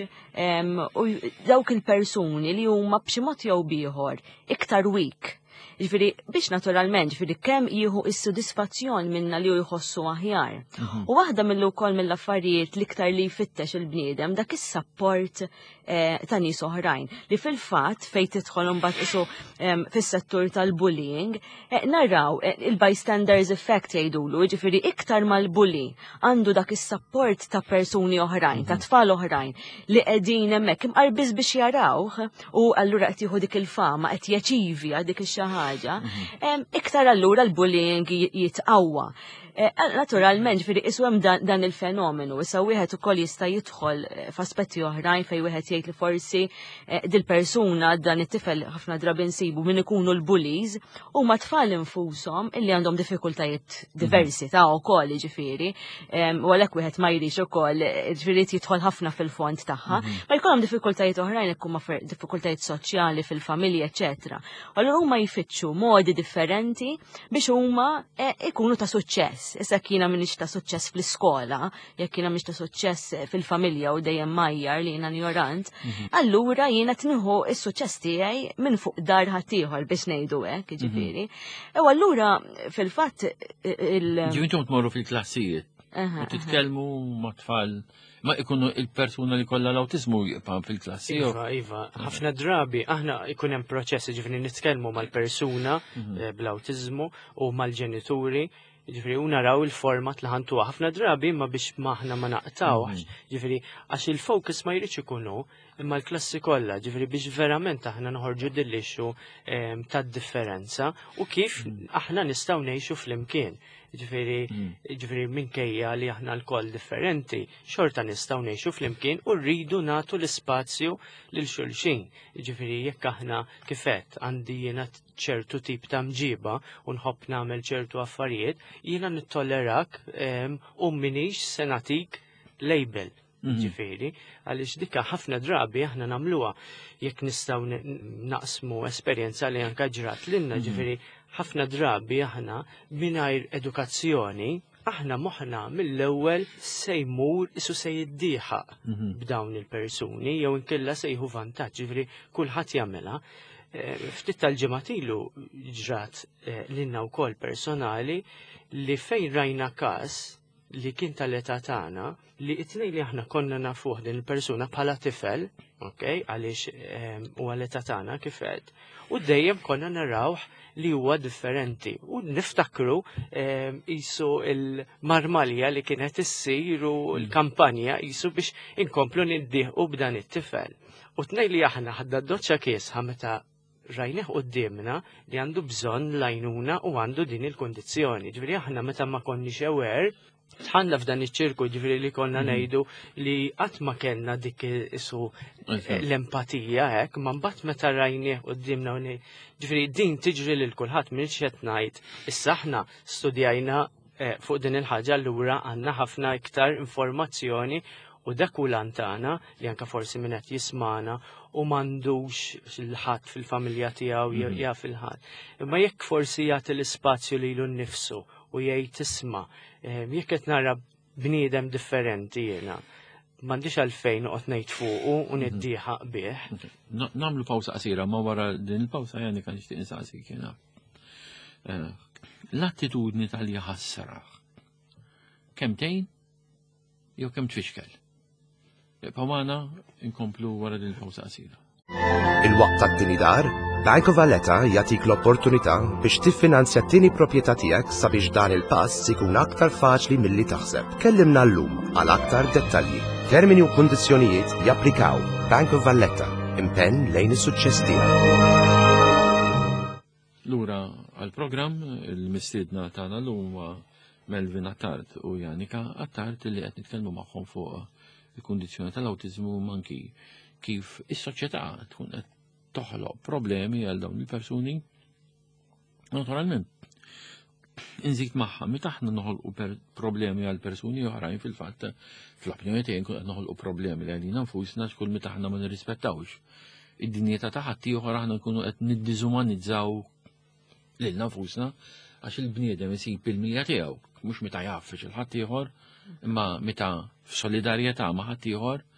u dawk il-persuni li huma b'xi mod jew bieħor iktar weak. Ġifieri biex naturalment, ġifieri kemm jieħu is-sodisfazzjon minna li hu jħossu aħjar. U waħda mill wkoll mill-affarijiet l-iktar li jfittex il-bniedem dak is-sapport eh, ta' nies oħrajn li fil-fatt fejn tidħol imbagħad isu fis-settur tal-bullying, eh, naraw eh, il-bystanders effect jgħidulu, ġifieri iktar mal-bully għandu dak is-sapport ta' persuni oħrajn, ta' tfal oħrajn li qegħdin hemmhekk imqar biss biex jarawh u allura qed jieħu dik il-fama, qed jaċivi għal dik ix-xi ħaġa, iktar allura l-bullying jitqawwa. Eh, naturalment, ġifieri isu hemm dan il-fenomenu, issa wieħed ukoll jista' jidħol eh, f'aspetti oħrajn fejn wieħed jgħid li forsi eh, dil-persuna dan it-tifel ħafna drabi nsibu min ikunu l-bullies huma tfal infushom illi għandhom diffikultajiet diversi ta' wkoll ġifieri, u għalhekk wieħed ma jrix ukoll ġifieri jidħol ħafna fil-fond tagħha, mhm. ma jkollhom diffikultajiet oħrajn jekk huma diffikultajiet soċjali fil-familja, eċetera. Allura huma jfittxu modi differenti biex huma eh, ikunu ta' suċċess. Issa jiena m'iniex ta' suċċess fl-iskola, jekk jiena m'iniex ta' suċċess eh, fil-familja u dejjem majjar li jiena ignorant, mhm. allura jiena tnieħu s-suċċess tiegħi minn fuq dar ħaddieħor biex ngħidu hekk, mhm. jiġifieri. U allura fil-fatt eh, il- Ġivintom tmorru fil-klassijiet u titkellmu ma' tfal Ma ikunu il-persuna li kollha l-awtiżmu jibqa' fil-klassi. Iva, iva, ħafna drabi aħna ikun hemm proċess ġifieri nitkellmu mal-persuna mhm. eh, bl-awtiżmu u mal-ġenituri ġifiri u naraw il-format li ħantuha ħafna drabi imma biex maħna ma naqtawx, mhm. ġifiri għax il-focus ma jridx ikunu imma l-klassi kollha, ġifiri biex verament aħna noħorġu dillixxu ehm, tad-differenza u kif mhm. aħna nistgħu ngħixu flimkien. Ġifieri, mm. ġifieri minkejja li aħna lkoll differenti, xorta nistgħu ngħixu flimkien u rridu nagħtu l-ispazju lil xulxin. Ġifieri jekk aħna kifet għandi jiena ċertu tip ta' mġiba u nħobb nagħmel ċertu affarijiet, jiena nittollerak u minix se nagħtik label. Mhm. Ġifieri, għaliex dika ħafna drabi aħna nagħmluha jekk nistgħu naqsmu esperjenza li anka ġrat lilna, mhm. ġifieri ħafna drabi aħna mingħajr edukazzjoni aħna moħħna mill-ewwel se jmur isu se jiddieħaq mhm. b'dawn il-persuni jew inkella se jieħu vantaġġ, ġifieri kulħadd jagħmilha. Eh, ftit tal-ġimgħat ilu ġrat eh, lilna wkoll personali li fejn rajna każ li kien tal-età tagħna li it-tnejn li aħna konna nafuh din il-persuna bħala tifel, ok, għaliex ehm, huwa l-età tagħna kif għedt, u dejjem konna narawh li huwa differenti. U niftakru ehm, isu il-marmalja li kienet issir u mm. l-kampanja isu biex inkomplu niddieħqu b'dan it-tifel. U tnej li aħna ħadda doċċa kiesħa meta rajnih quddiemna li għandu bżonn l-għajnuna u għandu din il-kundizzjoni. Ġifieri aħna meta ma konniex aware, tħanna f'dan iċ-ċirku ġifieri li konna mm. ngħidu li qatt ma kellna dik isu l-empatija hekk, ma mbagħad meta rajnih quddiemna u ġifieri din tiġri lil kulħadd minn qed ngħid. Issa aħna studjajna eh, fuq din il-ħaġa allura għandna ħafna iktar informazzjoni U dak hu l-għan tagħna li anke forsi min qed jismagħna u m'għandux il-ħadd fil-familja tiegħu jaf il-ħadd. Imma jekk forsi jagħti l-ispazju lilu nnifsu u jgħid isma' jekk qed nara bniedem differenti jiena, m'għandix għalfejn noqgħod ngħid fuqu u niddieħaq bih. Nagħmlu pawsa qasira, ma wara din il-pawsa jani kan nixtieq insaqsik jiena. L-attitudni tal-jaħassra kemm tgħin jew kemm tfixkel. Ibqgħu magħna nkomplu wara din il-pawsa qasira. Il-waqt tat-tieni dar, Bank of Valletta jagħtik l-opportunità biex tiffinanzja t-tieni proprjetà tiegħek sabiex dan il-pass ikun aktar faċli milli taħseb. Kellimna llum għal aktar dettalji. Termini u kundizzjonijiet japplikaw. Bank of Valletta, impenn lejn is-suċċess tiegħek. Lura għall-programm, il-mistiedna tagħna llum huwa Melvin Attard u Janika Attard li qed nitkellmu magħhom fuq il-kundizzjoni tal-awtiżmu u anki kif is-soċjetà tkun qed toħloq problemi għal dawn il-persuni. Naturalment, inżid magħha meta aħna noħolqu problemi għal persuni oħrajn fil-fatt fl-opinjoni tiegħi nkun qed noħolqu problemi li għalina nfusna x'kull meta aħna ma nirrispettawx id-dinjità ta' ħaddieħor aħna nkunu qed niddiżumanizzaw lilna nfusna għax il-bniedem isib il-milja tiegħu mhux meta jgħaffex il-ħaddieħor imma meta f'solidarjetà ma' ħaddieħor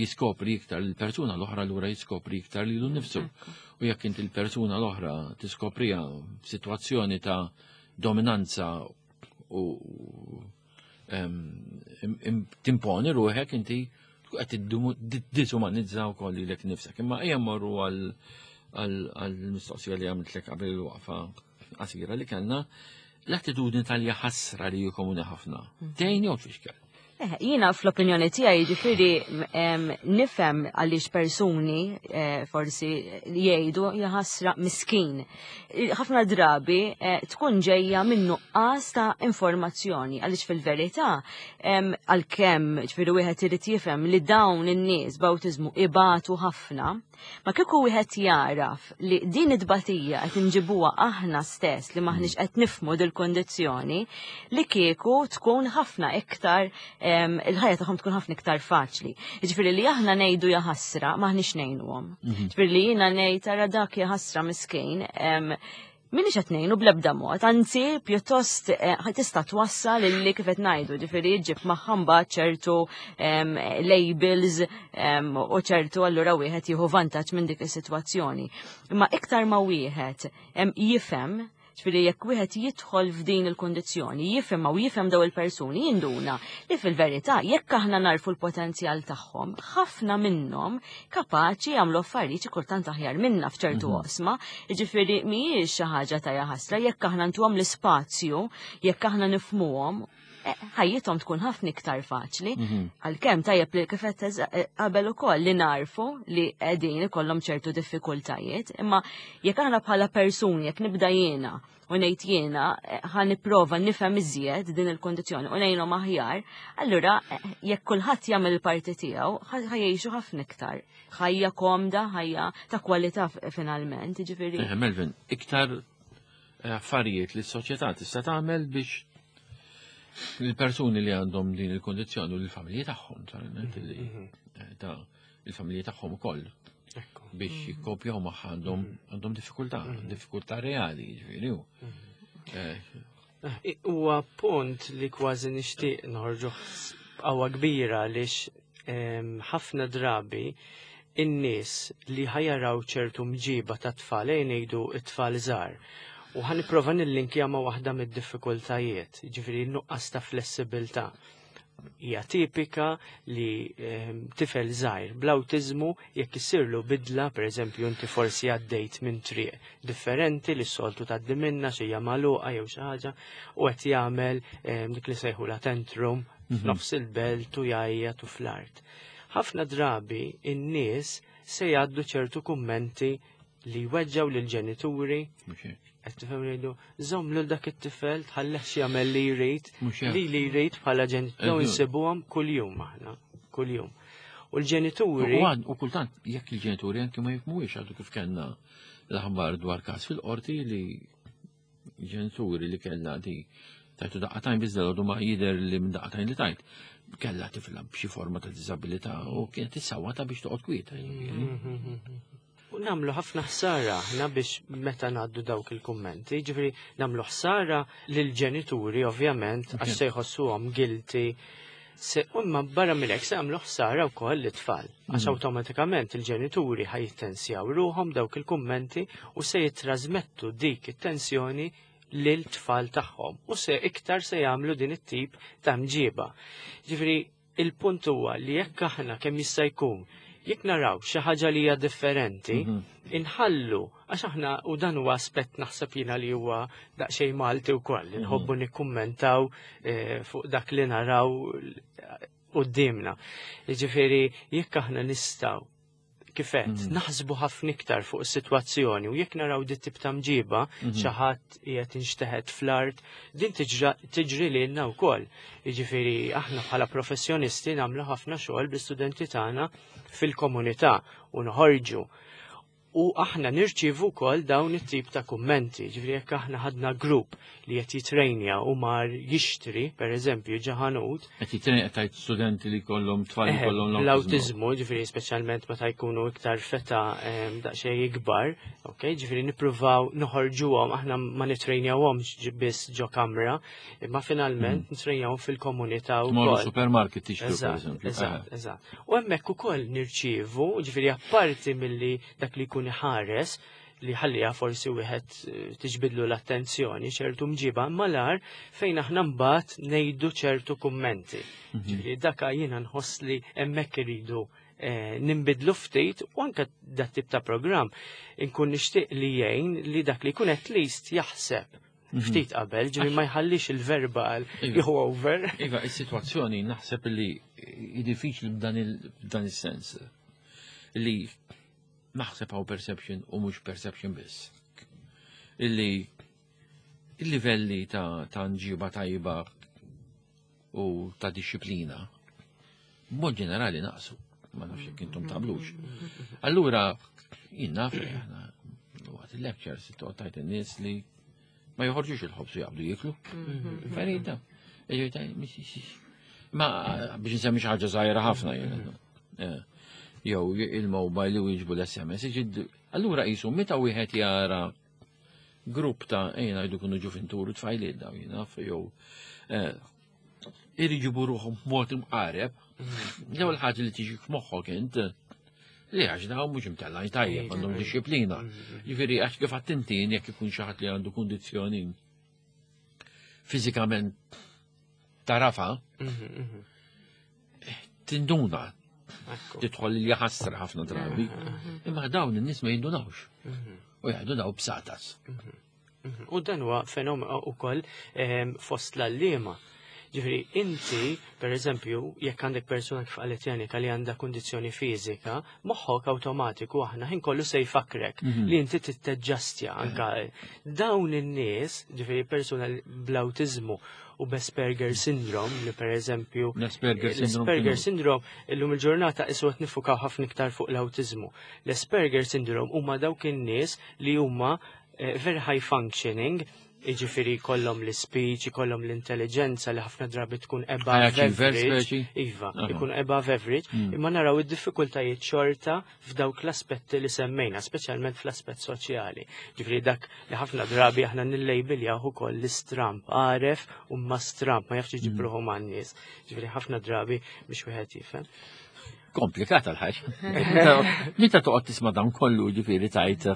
jiskopri iktar l-persuna l-oħra lura jiskopri iktar lilu nnifsu. U jekk inti l-persuna l-oħra tiskopriha f'sitwazzjoni ta' dominanza u timponi ruħek inti qed tiddiżumanizza wkoll lilek nifsek. Imma ejja mmorru għall-mistoqsija li għamiltlek qabel il-waqfa qasira li kellna, l-attitudni tal-jaħasra li komuni ħafna. Tgħin jew tfixkel? Jiena fl-opinjoni tiegħi jiġifieri nifhem għaliex persuni forsi jgħidu jaħasra miskin. Ħafna drabi tkun ġejja minn nuqqas ta' informazzjoni għaliex fil-verità għalkemm ġifieri wieħed irid jifhem li dawn in-nies b'awtiżmu ibatu ħafna, Ma kieku wieħed jaraf li din it-tbatija qed inġibuha aħna stess li maħniex qed nifhmu dil-kondizzjoni, li kieku tkun ħafna iktar il-ħajja tagħhom tkun ħafna iktar faċli. Jiġifieri li aħna ngħidu jaħasra maħniex ngħinuhom. Jiġifieri li jiena ngħid ara dak jaħasra miskin, Minix qed ngħinu bl-ebda mod, anzi pjuttost tista' twassal illi kif qed ngħidu, ġifieri ġġib magħha mbagħad ċertu labels u ċertu allura wieħed jieħu vantaġġ minn dik is-sitwazzjoni. Imma iktar ma wieħed jifhem, ġifieri jekk wieħed jidħol f'din il-kundizzjoni, jifhimha u jifhem daw il-persuni, jinduna li fil-verità jekk aħna narfu l-potenzjal tagħhom, ħafna minnhom kapaċi jagħmlu affarijiet xi kultant aħjar minna f'ċertu oqsma, jiġifieri mhijiex xi ħaġa ta' jaħasra jekk aħna ntuhom l-ispazju, jekk aħna nifhmuhom, ħajjithom tkun ħafna iktar faċli. Għalkemm tajjeb li kif qed qabel ukoll li narfu li qegħdin ikollhom ċertu diffikultajiet, imma jekk aħna bħala persuni, jekk nibda jiena u ngħid jiena ħa nipprova nifhem iżjed din il-kondizzjoni u ngħinhom aħjar, allura jekk kulħadd jagħmel il-parti tiegħu ħa jgħixu ħafna iktar. Ħajja komda, ħajja ta' kwalità finalment, jiġifieri. Melvin, iktar affarijiet li s-soċjetà tista' tagħmel biex il-persuni li għandhom din il-kondizzjoni u l-familji tagħhom, naturalment, li ta' il-familji tagħhom ukoll biex jikkopjaw magħha għandhom diffikultà, diffikultà reali, ġifieri hu. Huwa punt li kważi nixtieq noħorġu b'qawwa kbira għaliex ħafna drabi in-nies li ħajaraw ċertu mġiba ta' tfal, ejja ngħidu t-tfal żgħar, u ħa nipprova nillinkja ma' waħda mid-diffikultajiet, ġifieri n-nuqqas ta' flessibilità. Hija tipika li tifel żgħir bl-awtiżmu jekk issirlu bidla, pereżempju inti forsi għaddejt minn triq differenti li s-soltu tgħaddi minnha xi hija magħluqa jew xi ħaġa, u qed jagħmel dik li sejħula tantrum f'nofs il-belt u jgħajjat u fl-art. Ħafna drabi in-nies se jgħaddu ċertu kummenti li jweġġgħu lill-ġenituri. Mhux hekk. Qed tifhem jgħidu, żomm lil dak it-tifel, tħallihx jagħmel li jrid, Mhux hekk. li li jrid bħala ġenituri insibuhom kuljum aħna, kuljum. U l-ġenituri U kultant jekk il-ġenituri anke ma jifhmuhiex, għadu kif kellna l-aħbar dwar każ fil-qorti li ġenituri li kellha di Tajtu daqqatajn biss dal ma jidher li minn daqqatajn li tajt. Kella tifla b'xi forma ta' diżabilità u kienet issawwata biex toqgħod kwieta. U namlu ħafna ħsara aħna biex meta ngħaddu dawk il-kummenti, ġifieri namlu ħsara lill-ġenituri ovvjament għax se jħossuhom guilty. Se, imma barra minn hekk se jagħmlu ħsara wkoll lit-tfal. Għax awtomatikament il-ġenituri ħa jittensjaw ruħhom dawk il-kummenti u se jittrażmettu dik it-tensjoni lil tfal tagħhom u se iktar se jagħmlu din it-tip ta' mġiba. Ġifieri il-punt huwa li jekk aħna kemm jista' jkun jekk naraw xi ħaġa li hija differenti, inħallu għax aħna u dan huwa aspett naħseb jiena li huwa daqsxejn Malti wkoll, inħobbu nikkummentaw fuq dak li naraw quddiemna. Jiġifieri jekk aħna nistgħu kifet, naħsbu ħafna iktar fuq is-sitwazzjoni u jekk naraw dit tip ta' mġiba, xi ħadd qiegħed inxteħet fl-art, din tiġri lilna wkoll. Jiġifieri aħna bħala professjonisti nagħmlu ħafna xogħol bl-istudenti tagħna fil-komunità u noħorġu. U aħna nirċievu wkoll dawn it-tip ta' kummenti, ġifieri jekk aħna ħadna grupp li qed jitrejnja u mar jixtri, per eżempju, ġaħanut. Qed jitrejnja tajt studenti li kollhom tfal li kollhom l-awtiżmu, ġifieri speċjalment meta jkunu iktar feta daqsxejn ikbar, ok, ġifieri nippruvaw noħorġuhom, aħna ma nitrejnjawhomx biss ġo kamra, imma finalment nitrejnjawhom fil-komunità wkoll. Morru supermarket tixtru, per eżempju. Eżatt, eżatt. U hemmhekk ukoll nirċievu, ġifieri apparti milli dak li jkun iħares li ħallija forsi wieħed tiġbidlu l-attenzjoni ċertu mġiba malar fejn aħna mbagħad ngħidu ċertu kummenti. Ġifieri daka jiena nħoss li hemmhekk iridu nimbidlu ftit u anke dat tip ta' programm inkun nixtieq li jgħin li dak li jkun at least jaħseb ftit qabel, ġifieri ma jħallix il-verbal jieħu over. Iva, is-sitwazzjoni naħseb li hi diffiċli b'dan is-sens. Li naħseb hawn perception u mhux perception biss. Illi il-livelli ta' nġiba tajba u ta' disciplina b'mod ġenerali naqsu. Ma nafx jekk intom taqblux. Allura, jien naf li aħna waqt il-lectures toqgħod tajt in-nies li ma joħorġux il-ħobż u jaqbdu jieklu. Ferita. Ma biex nsemmi xi ħaġa żgħira ħafna jien. Jew il-mobile li jiġbu l-SMS. Allura qisu meta wieħed jara grupp ta' ejna jdu kunu ġuventuru tfajliet daw jien naf, jew iriġibu ruħhom b'mod imqareb, l-ewwel ħaġa li tiġi f'moħħok int li għax daw mhux imtellgħin tajjeb, għandhom disċiplina. Ġifieri għax kif attentin jekk ikun xi ħadd li għandu kundizzjoni fiżikament tarafa, tinduna, tidħol li ħasra ħafna drabi, imma dawn in-nies ma jindunawx. U jgħidu daw bsatas. U dan huwa fenomenu ukoll fost l-għalliema. Ġifieri inti, per eżempju, jekk għandek persuna kif qalet Janika li għandha kundizzjoni fiżika, moħħok awtomatiku aħna ħin kollu se jfakrek li inti titteġġastja anka dawn in-nies, ġifieri persuna bl-awtiżmu u b'Asperger syndrome, li per eżempju L-Asperger syndrome l-Asperger kienu? syndrome illum il-ġurnata isu qed nifukaw ħafna iktar fuq l-awtiżmu. L-Asperger syndrome huma dawk in-nies li huma very high functioning, jiġifieri jkollhom l-speech, jkollhom l-intelligenza li ħafna drabi tkun above High achievers, average. speċi? Iva, ikun above average, imma naraw id-diffikultajiet xorta f'dawk l-aspetti li semmejna, speċjalment fl-aspett soċjali. Ġifieri dak li ħafna drabi aħna nillejbiljaw ukoll l-istramp, għaref u ma stramp, ma jafx iġib ruħu man-nies. Ġifieri ħafna drabi biex wieħed jifhem. Komplikata l-ħaġa. Meta toqgħod tisma' dan kollu, ġifieri tajt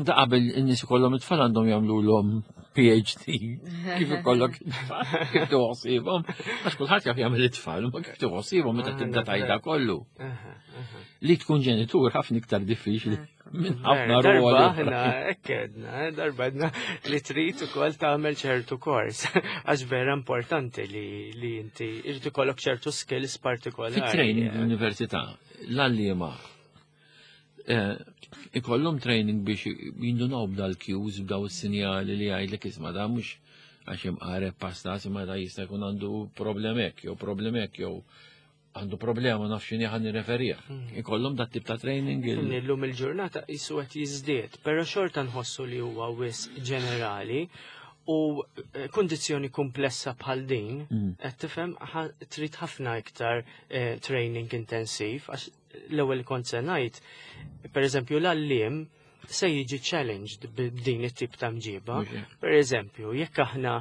da qabel in-nies ikollhom it-tfal għandhom jagħmluhom PhD. Kif ikollok it-tfal, kif tuħsibhom? Għax kulħadd jaf jagħmel it-tfal, ma kif tuħsibhom meta tibda tajda kollu. Li tkun ġenitur ħafna iktar diffiċli minn ħafna Darba ruoli. aħna hekk għedna, darba għedna li trid ukoll tagħmel ċertu kors. Għax vera importanti li inti irid ikollok ċertu skills partikolari. Fit-training l-università, l-għalliema ikollhom training biex jindunaw b'dal-cues, b'daw is-sinjali li jgħidlek isma' da mhux għax imqareb pastas imma da jista' jkun għandu problemek jew problemek jew għandu problema naf x'inhi ħa nirreferih. Ikollhom dat tip ta' training Illum il-ġurnata qisu qed jiżdied, però xorta nħossu li huwa wisq ġenerali. U eh, kundizzjoni komplessa bħal din, qed tifhem trid ħafna iktar eh, training intensiv, għax l-ewwel kont se ngħid, pereżempju l-għalliem se jiġi challenged b'din it-tip ta' mġiba. Per eżempju, jekk aħna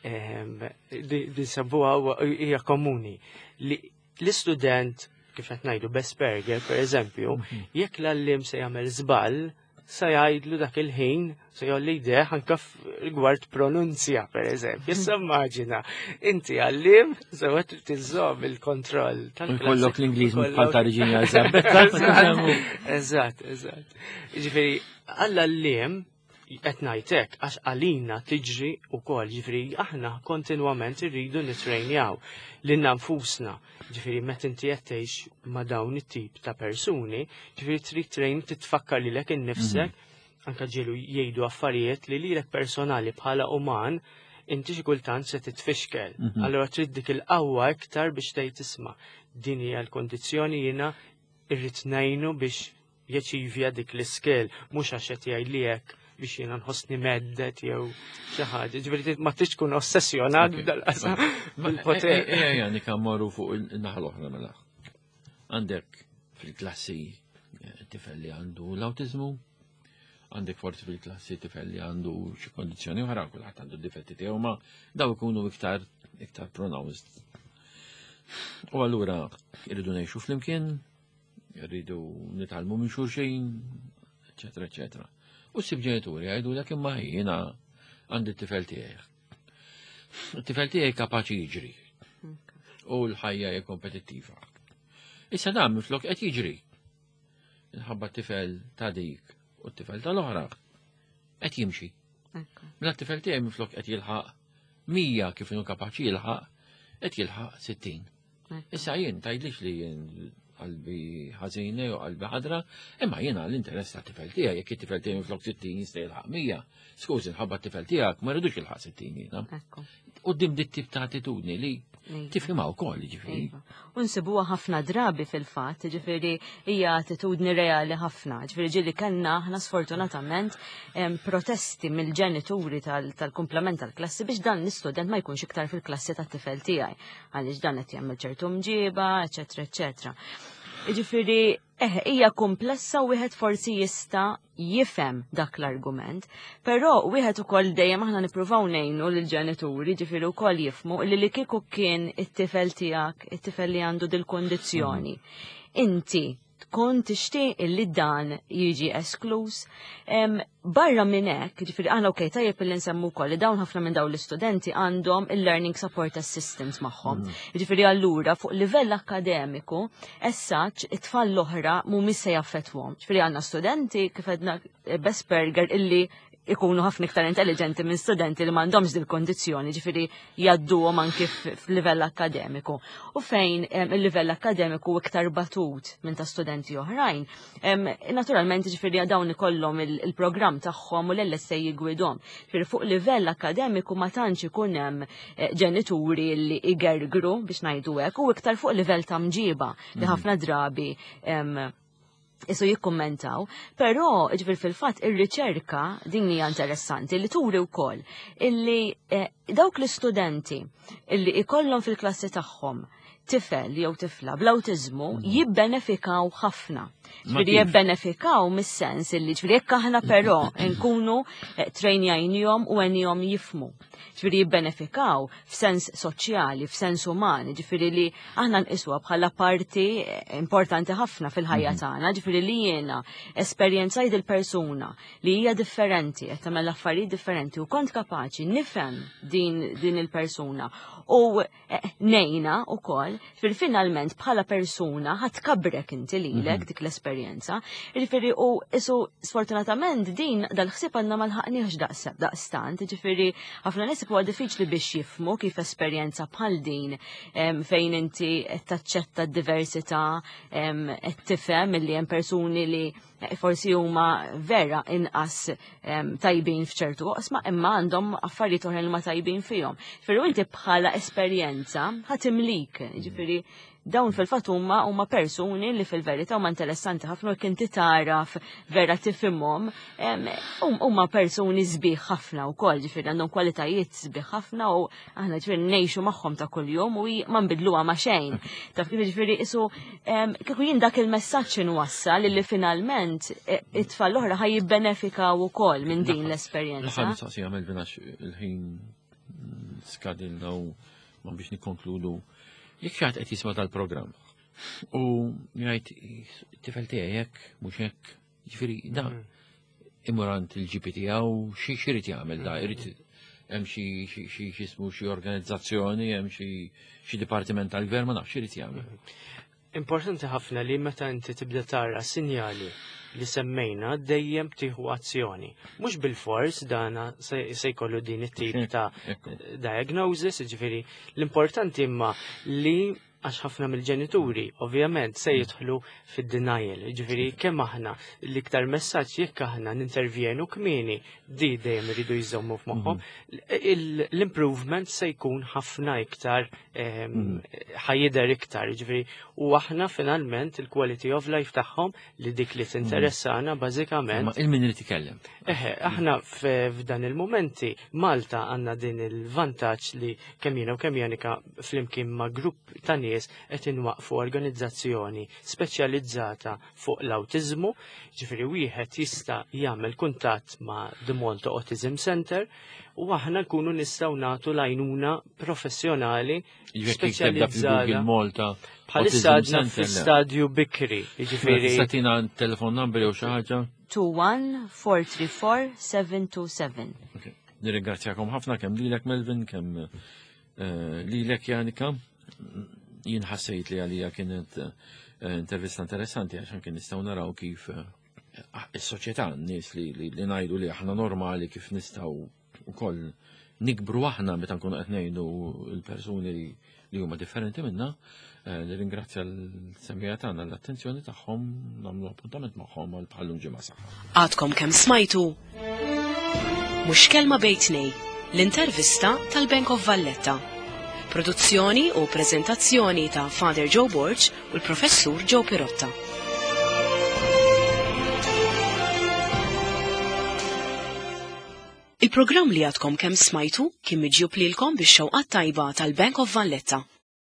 ehm, din sabuha hija komuni li l-istudent kif qed ngħidu b'Asperger pereżempju, mhm. jekk l-għalliem se jagħmel żball, se jgħidlu dak il-ħin, se jolli jdeħ anka rigward pronunzja, per eżempju. Issa immaġina, inti għallim, sewa trid tiżżomm il-kontroll tal-klassi. Kollok l-Ingliż bħal ta' Reġina Elisabetta. Eżatt, eżatt. Ġifieri, għall-għalliem qed ngħid hekk għax għalina tiġri wkoll, ġifieri aħna kontinwament irridu nitrejnjaw lilna nfusna. Ġifieri meta inti qed tgħix ma' dawn it-tip ta' persuni, ġifieri trid trejn titfakkar lilek innifsek, mhm. anka ġielu jgħidu affarijiet li lilek personali bħala uman inti xi kultant se titfixkel. Mhm. Allura trid dik il-qawwa iktar biex tgħid isma' din hija l-kondizzjoni jiena irrid ngħinu biex jaċivja dik l-iskel, mhux għax qed jgħidli hekk biex jiena nħossni meddet jew xi ħaġa. Ġifieri ma tridx tkun ossessjonat b'dal-qasam bil-poter. Ejja, eh, eh, eh, nikammaru fuq il-naħa l-oħra mela. Għandek fil-klassi tifel li għandu l-awtiżmu, għandek forsi fil-klassi tifel li għandu xi kondizzjoni oħra, kulħadd għandu difetti tiegħu ma daw ikunu iktar iktar pronounced. U allura irridu ngħixu flimkien, Rridu nitgħallmu minn xulxin, eċetera, eċetera. U ssib ġenituri jgħidu dak imma jiena għandi t-tifel tiegħi. It-tifel tiegħi kapaċi jiġri. U l-ħajja hija kompetittiva. Issa dan minflok qed jiġri. Inħabba t-tifel ta' dik u t-tifel tal-oħra qed jimxi. Mela t-tifel tiegħi minflok qed jilħaq 100 kif inhu kapaċi jilħaq, qed jilħaq 60. Issa jien tgħidlix li jien qalbi ħażina jew qalbi ħadra, imma jiena l-interess ta' tifel tiegħi jekk it-tifel tiegħi minflok 60 jista' jilħaq 100. Skużi nħabba t-tifel tiegħek ma rridux jilħaq 60 jiena. Quddiem dit tip ta' attitudni li iva. tifhimha wkoll ġifieri. Iva. U nsibuha ħafna drabi fil-fatt, ġifieri hija attitudni reali ħafna. Ġifieri ġieli kellna aħna sfortunatament protesti mill-ġenituri tal-kumplament tal-klassi biex dan l-istudent ma jkunx iktar fil-klassi tat-tifel tiegħi għaliex dan qed jagħmel ċertu mġiba, eċetera, eċetera. Jiġifieri eh, hija komplessa u wieħed forsi jista' jifhem dak l-argument, però wieħed ukoll dejjem aħna nippruvaw ngħinu lill-ġenituri, ġifieri wkoll jifhmu li li kieku kien it-tifel tiegħek, it-tifel li għandu dil-kundizzjoni. Inti tkun tixtieq illi dan jiġi esklus. Barra minn hekk, ġifieri aħna okej tajjeb illi nsemmu wkoll li dawn ħafna minn dawn l-istudenti għandhom il-learning support assistants magħhom. Mm. Ġifieri allura fuq livell akademiku, as such, it-tfal l-oħra mhumiex se jaffettwhom. Ġifieri għandna studenti kif għedna eh, Besperger illi ikunu ħafna iktar intelligenti minn studenti li m'għandhomx dil kondizzjoni ġifieri jgħadduhom anki f'livell akkademiku. U fejn il-livell akkademiku iktar batut minn ta' studenti oħrajn, naturalment ġifieri dawn ikollhom il-programm tagħhom u l-LSA jigwidhom. Ġifieri fuq livell akkademiku ma tantx ikun hemm eh, ġenituri li igergru biex ngħidu hekk u iktar fuq livell ta' mġiba li mhm. ħafna drabi isu jikkummentaw, però ġifir fil-fatt ir-riċerka din hija interessanti li turi wkoll illi eh, dawk l-istudenti illi ikollhom fil-klassi tagħhom tifel jew tifla bl-awtiżmu mhm. jibbenefikaw ħafna. Ġifieri jibbenefikaw mis-sens illi ġifieri jekk aħna però nkunu eh, trejnjajnihom u għenihom jifmu. Ġifieri jibbenefikaw f'sens soċjali, f'sens uman, ġifieri li aħna nqisuha bħala parti importanti ħafna fil-ħajja mhm. tagħna, ġifieri li jiena esperjenzajt il-persuna li hija differenti, qed tagħmel affarijiet differenti u kont kapaċi nifhem din, din il-persuna u eh, nejna u koll, fil-finalment bħala persuna ħat kabrek inti lilek mhm. dik l-esperjenza. Ġifieri u isu sfortunatament din dal-ħsieb għandna ma lħaqniex daqstant, ġifieri ħafna nies huwa diffiċli biex jifmu kif esperjenza bħal din fejn inti qed taċċetta d-diversità, qed tifhem illi hemm persuni li eh, forsi huma vera inqas tajbin f'ċertu oqsma imma għandhom affarijiet oħra li ma tajbin fihom. Ferru inti bħala esperjenza ħatimlik, mhm. Ġifieri dawn fil-fatt huma huma persuni li fil-verità huma interessanti ħafna u jekk inti taraf vera tifhimhom, huma persuni sbieħ ħafna wkoll, ġifieri għandhom kwalitajiet sbieħ ħafna u aħna ġifieri ngħixu magħhom ta' kuljum u ma nbidluha ma' xejn. Taf kif ġifieri isu kieku jien dak il-messaġġ inwassal li finalment e, it-tfal l-oħra ħaj jibbenefikaw ukoll minn din l-esperjenza. L-aħħar mistoqsija Melvin għax il-ħin skadilna u ma biex nikkonkludu. Jekk xi ħadd qed jisma' tal-programm u jgħid tifel tiegħi hekk mhux hekk, ġifieri da mm. imur għand il-GP tiegħu xi x'irid jagħmel da, irid hemm xi xi x'ismu xi organizzazzjoni, hemm xi dipartiment tal-gvern ma nafx irid jagħmel. Mm. Importanti ħafna li meta inti tibda tara sinjali li semmejna dejjem tieħu azzjoni. Mhux bil-fors dana se jkollu din it-tip ta' diagnosis, ġifieri l-importanti imma li għax ħafna mill-ġenituri ovvjament se jidħlu fid-denial. Ġifieri kemm aħna l-iktar messaġġ jekk aħna nintervjenu kmieni di dejjem iridu jżommu f'moħħhom, mhm. l-improvement se jkun ħafna iktar ehm, mhm. ħajider iktar, ġifieri u aħna finalment il-quality of life tagħhom li dik li tinteressana bażikament. Ma il-min irid ikellem. Eħe, aħna f'dan il-momenti Malta għandna din il-vantaġġ li kemm jiena u kemm Janika flimkien ma' grupp ta' nies qed inwaqfu organizzazzjoni speċjalizzata fuq l-awtiżmu, ġifieri wieħed jista' jagħmel kuntatt ma' The Malta Autism Center u aħna nkunu nistgħu nagħtu l-għajnuna professjonali speċjalizzata. Malta. Bħalissa għadna fi stadju bikri, jiġifieri. Tista' tina telefon number jew xi ħaġa? 21 727. Nirringrazzjakom ħafna kemm lilek Melvin, kemm eh, lilek Janika. Jien ħassejt li għalija kienet eh, intervista interessanti għax anke nistgħu naraw kif eh, is-soċjetà n-nies li, li, li ngħidu li aħna normali kif nistgħu wkoll nikbru aħna meta nkunu qed ngħidu l-persuni li, li huma differenti minna. Eh, nirringrazzja l-semija tagħna l-attenzjoni tagħhom nagħmlu appuntament magħhom għal bħallum ġimgħa saħħa. Għadkom kemm smajtu Mhux kelma bejtnej, l-intervista tal-Bank of Valletta. Produzzjoni u preżentazzjoni ta' Father Joe Borg u l-Professur Joe Pirotta. Il-programm li għadkom kemm smajtu kien miġjub lilkom bix-xewqat tajba tal-Bank of Valletta.